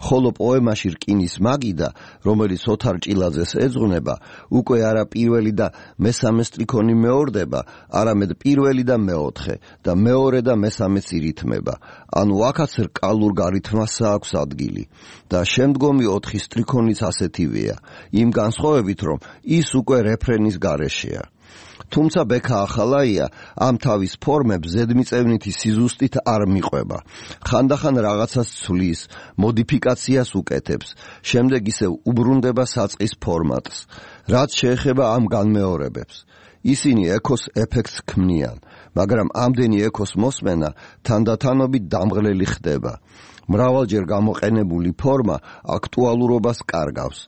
ხოლო პოემაში რკინის მაგიდა, რომელიც ოთარ ჭილაძეს ეძღვნება, უკვე არა პირველი და მესამე სტრიქონი მეორდება, არამედ პირველი და მეოთხე და მეორე და მესამეც ირითმება. ანუ აქაც რკალურ გარითმას აქვს ადგილი და შემდგომი 4 სტრიქონიც ასეთივეა, იმ განსხვავებით, რომ ის უკვე რეფრენის გარეშეა. თუმცა ბექა ახალაია ამ თავის ფორმებს ზედმიწევნითი სიზუსტით არ მიყვება. ხანდახან რაღაცას ცვლის, მოდიფიკაციას უკეთებს, შემდეგ ისევ უბრუნდება საწყის ფორმატს. რაც შეეხება ამ განმეორებებს, ისინი ექოს ეფექტს ქმნიან, მაგრამ ამდენი ექოს მოსმენა თანდათანობით დამღლელი ხდება. მრავალჯერ გამოყენებული ფორმა აქტუალურობას კარგავს.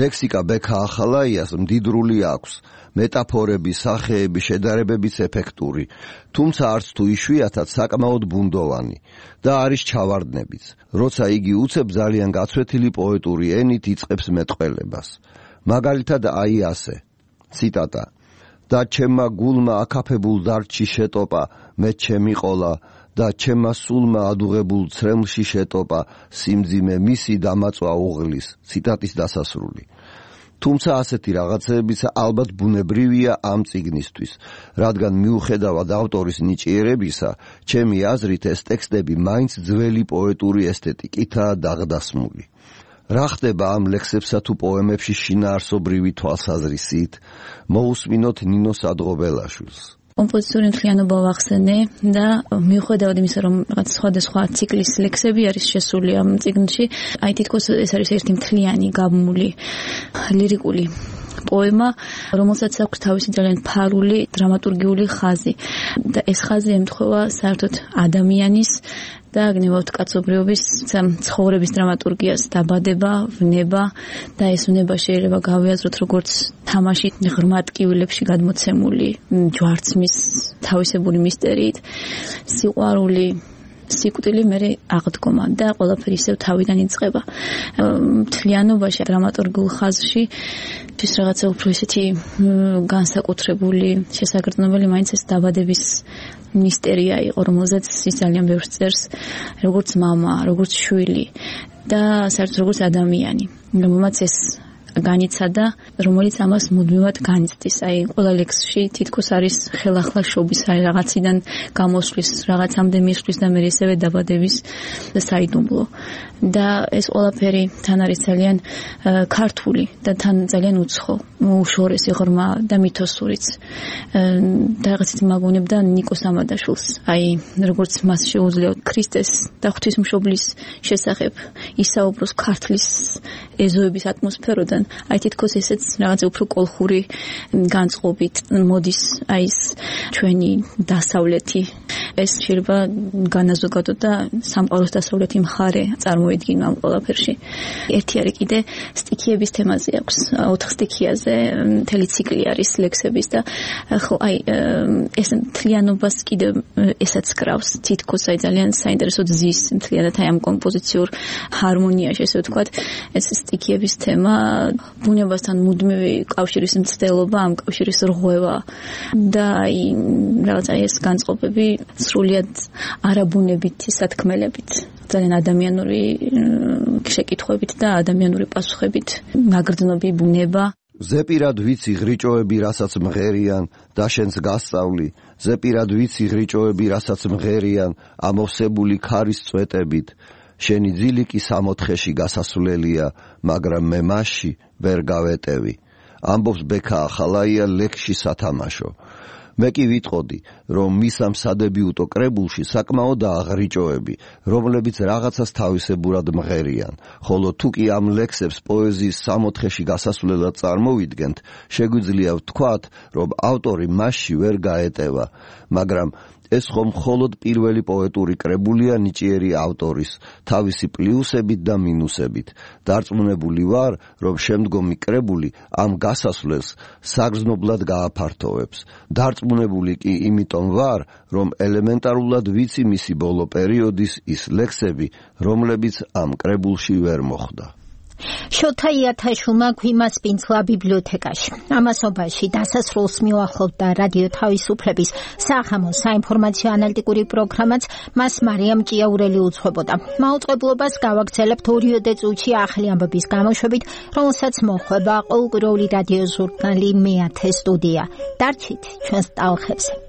ლექსიკა ბექა ახალაიას მდიდრული აქვს. მეტაფორები, სახეები, შედარებებიც ეფექტური, თუმცა არც თუ იშვიათად საკმაოდ ბუნდოვანი და არის ჩავარდნებიც. როცა იგი უცებ ძალიან გაცვეთილი პოეტური ენით იწყებს მეტყველებას. მაგალითად აი ასე. ციტატა: და ჩემმა გულმა აკაფებულ დარჩი შეტოპა, მე ჩემი ყოლა და ჩემმა სულმა ადუღებულ ცრემლში შეტოპა, სიმძიმე მისი დამაწვა უღლის. ციტატის დასასრული. თუმცა ასეთი რაღაცებიც ალბათ ბუნებრივია ამ წიგნისთვის, რადგან მიუხედავად ავტორის ნიჭიერებისა, ჩემი აზრით ეს ტექსტები მაინც ძველი პოეტური ესთეტიკითაა დაღდასმული. რა ხდება ამ ლექსებსა თუ პოემებში შინაარსობრივი თვალსაზრისით? მოусმინოთ ნინოს ადღობელაშვილს. კომპოზიციური მთლიანობა ვახსენე და მიუხედავად იმისა, რომ რაღაც სხვადასხვა ციკლის ლექსები არის შესული ამ წიგნში, აი თითქოს ეს არის ერთი მთლიანი გაბმული ლირიკული პოემა, რომელსაც აქვს თავისი ძალიან ფარული დრამატურგიული ხაზი და ეს ხაზი ემთხვევა საერთოდ ადამიანის და გნებავთ კაცობრიობის ცხოვრების დრამატურგიას, დაბადება, ვნება და ეს ვნება შეიძლება გავიაზროთ როგორც თამაში ღრმა ტკივილებში გადმოცემული ჯვარცმის თავისებური მისტერიით, სიყვარული, სიკვდილი მერე აღდგომა და ყველაფერი ისევ თავიდან იწყება. მთლიანობაში დრამატურგიულ ხაზში ის რაღაცა უფრო ისეთი განსაკუთრებული შესაგრძნობელი მაინც ეს დაბადების მისტერია იყო, რომელზეც ის ძალიან ბევრს წერს, როგორც მამა, როგორც შვილი და საერთოდ როგორც ადამიანი, რომელმაც ეს განიცადა, რომელიც ამას მუდმივად განიცდის. აი, ყველა ლექსში თითქოს არის ხელახლა შობის რაღაციდან გამოსვლის, რაღაცამდე მისვლის და მე ისევე დაბადების საიდუმლო. და ეს ყველაფერი თან არის ძალიან ქართული და თან ძალიან უცხო, უშორესი, ღრმა და მითოსურიც. და რაღაცით მაგონებდა ნიკოს ამადაშვილს. აი, როგორც მას შეუძლია ქრისტეს და ღვთისმშობლის შესახებ ისაუბროს ქართლის ეზოების ატმოსფეროდან, აი თითქოს ესეც რაღაც უფრო კოლხური განწყობით მოდის აი ეს ჩვენი დასავლეთი. ეს შეიძლება განაზოგადოთ და სამყაროს დასავლეთი მხარე წარმოედგინო ამ ყველაფერში. ერთი არის კიდე სტიქიების თემაზე აქვს, 4 სტიქიაზე მთელი ციკლი არის ლექსების და ხო აი ეს მთლიანობას კიდე ესაც კრავს, თითქოს აი ძალიან საინტერესოდ ზის მთლიანად აი ამ კომპოზიციურ ჰარმონიაში, ესე ვთქვათ, ეს სტიქიების თემა ბუნებასთან მუდმივი კავშირის მცდელობა, ამ კავშირის რღვევა და აი რაღაც აი ეს განწყობები სრულიად არაბუნებითი სათქმელებით, ძალიან ადამიანური შეკითხვებით და ადამიანური პასუხებით მაგრძნობი ბუნება. ზეპირად ვიცი ღრიჭოები, რასაც მღერიან და შენს გასწავლი, ზეპირად ვიცი ღრიჭოები, რასაც მღერიან ამოვსებული ქარის წვეტებით. შენი ძილიკი 64-ში გასასვლელია, მაგრამ მე მასში ვერ გავეტევი. ამბობს ბექა ახალაია ლექსში სათამაშო. მე კი ვიტყოდი, რომ მის ამ სადებიუტო კრებულში საკმაოდაა ღრიჭოები, რომლებიც რაღაცას თავისებურად მღერიან, ხოლო თუ კი ამ ლექსებს პოეზიის 64-ში გასასვლელად წარმოვიდგენთ, შეგვიძლია ვთქვათ, რომ ავტორი მასში ვერ გაეტევა, მაგრამ ეს ხომ მხოლოდ პირველი პოეტური კრებულია ნიჭიერი ავტორის, თავისი პლუსებით და მინუსებით. დარწმუნებული ვარ, რომ შემდგომი კრებული ამ გასასვლელს საგრძნობლად გააფართოვებს. დარწმუნებული კი იმიტომ ვარ, რომ ელემენტარულად ვიცი მისი ბოლო პერიოდის ის ლექსები, რომლებიც ამ კრებულში ვერ მოხვდა. შოთა იათაშვილმა გვიმასპინძლა ბიბლიოთეკაში. ამასობაში დასასრულს მიუახლოვდა რადიო თავისუფლების სახამო საინფორმაციო ანალიტიკური პროგრამაც, მას მარიამ ჭიაურელი უძღვებოდა. მაუწყებლობას გავაგრძელებთ ორიოდე წუთში ახალი ამბების გამოშვებით, რომელსაც მოხვება ყოველკვირეული რადიო ჟურნალი მეათე სტუდია. დარჩით ჩვენს ტალღებზე.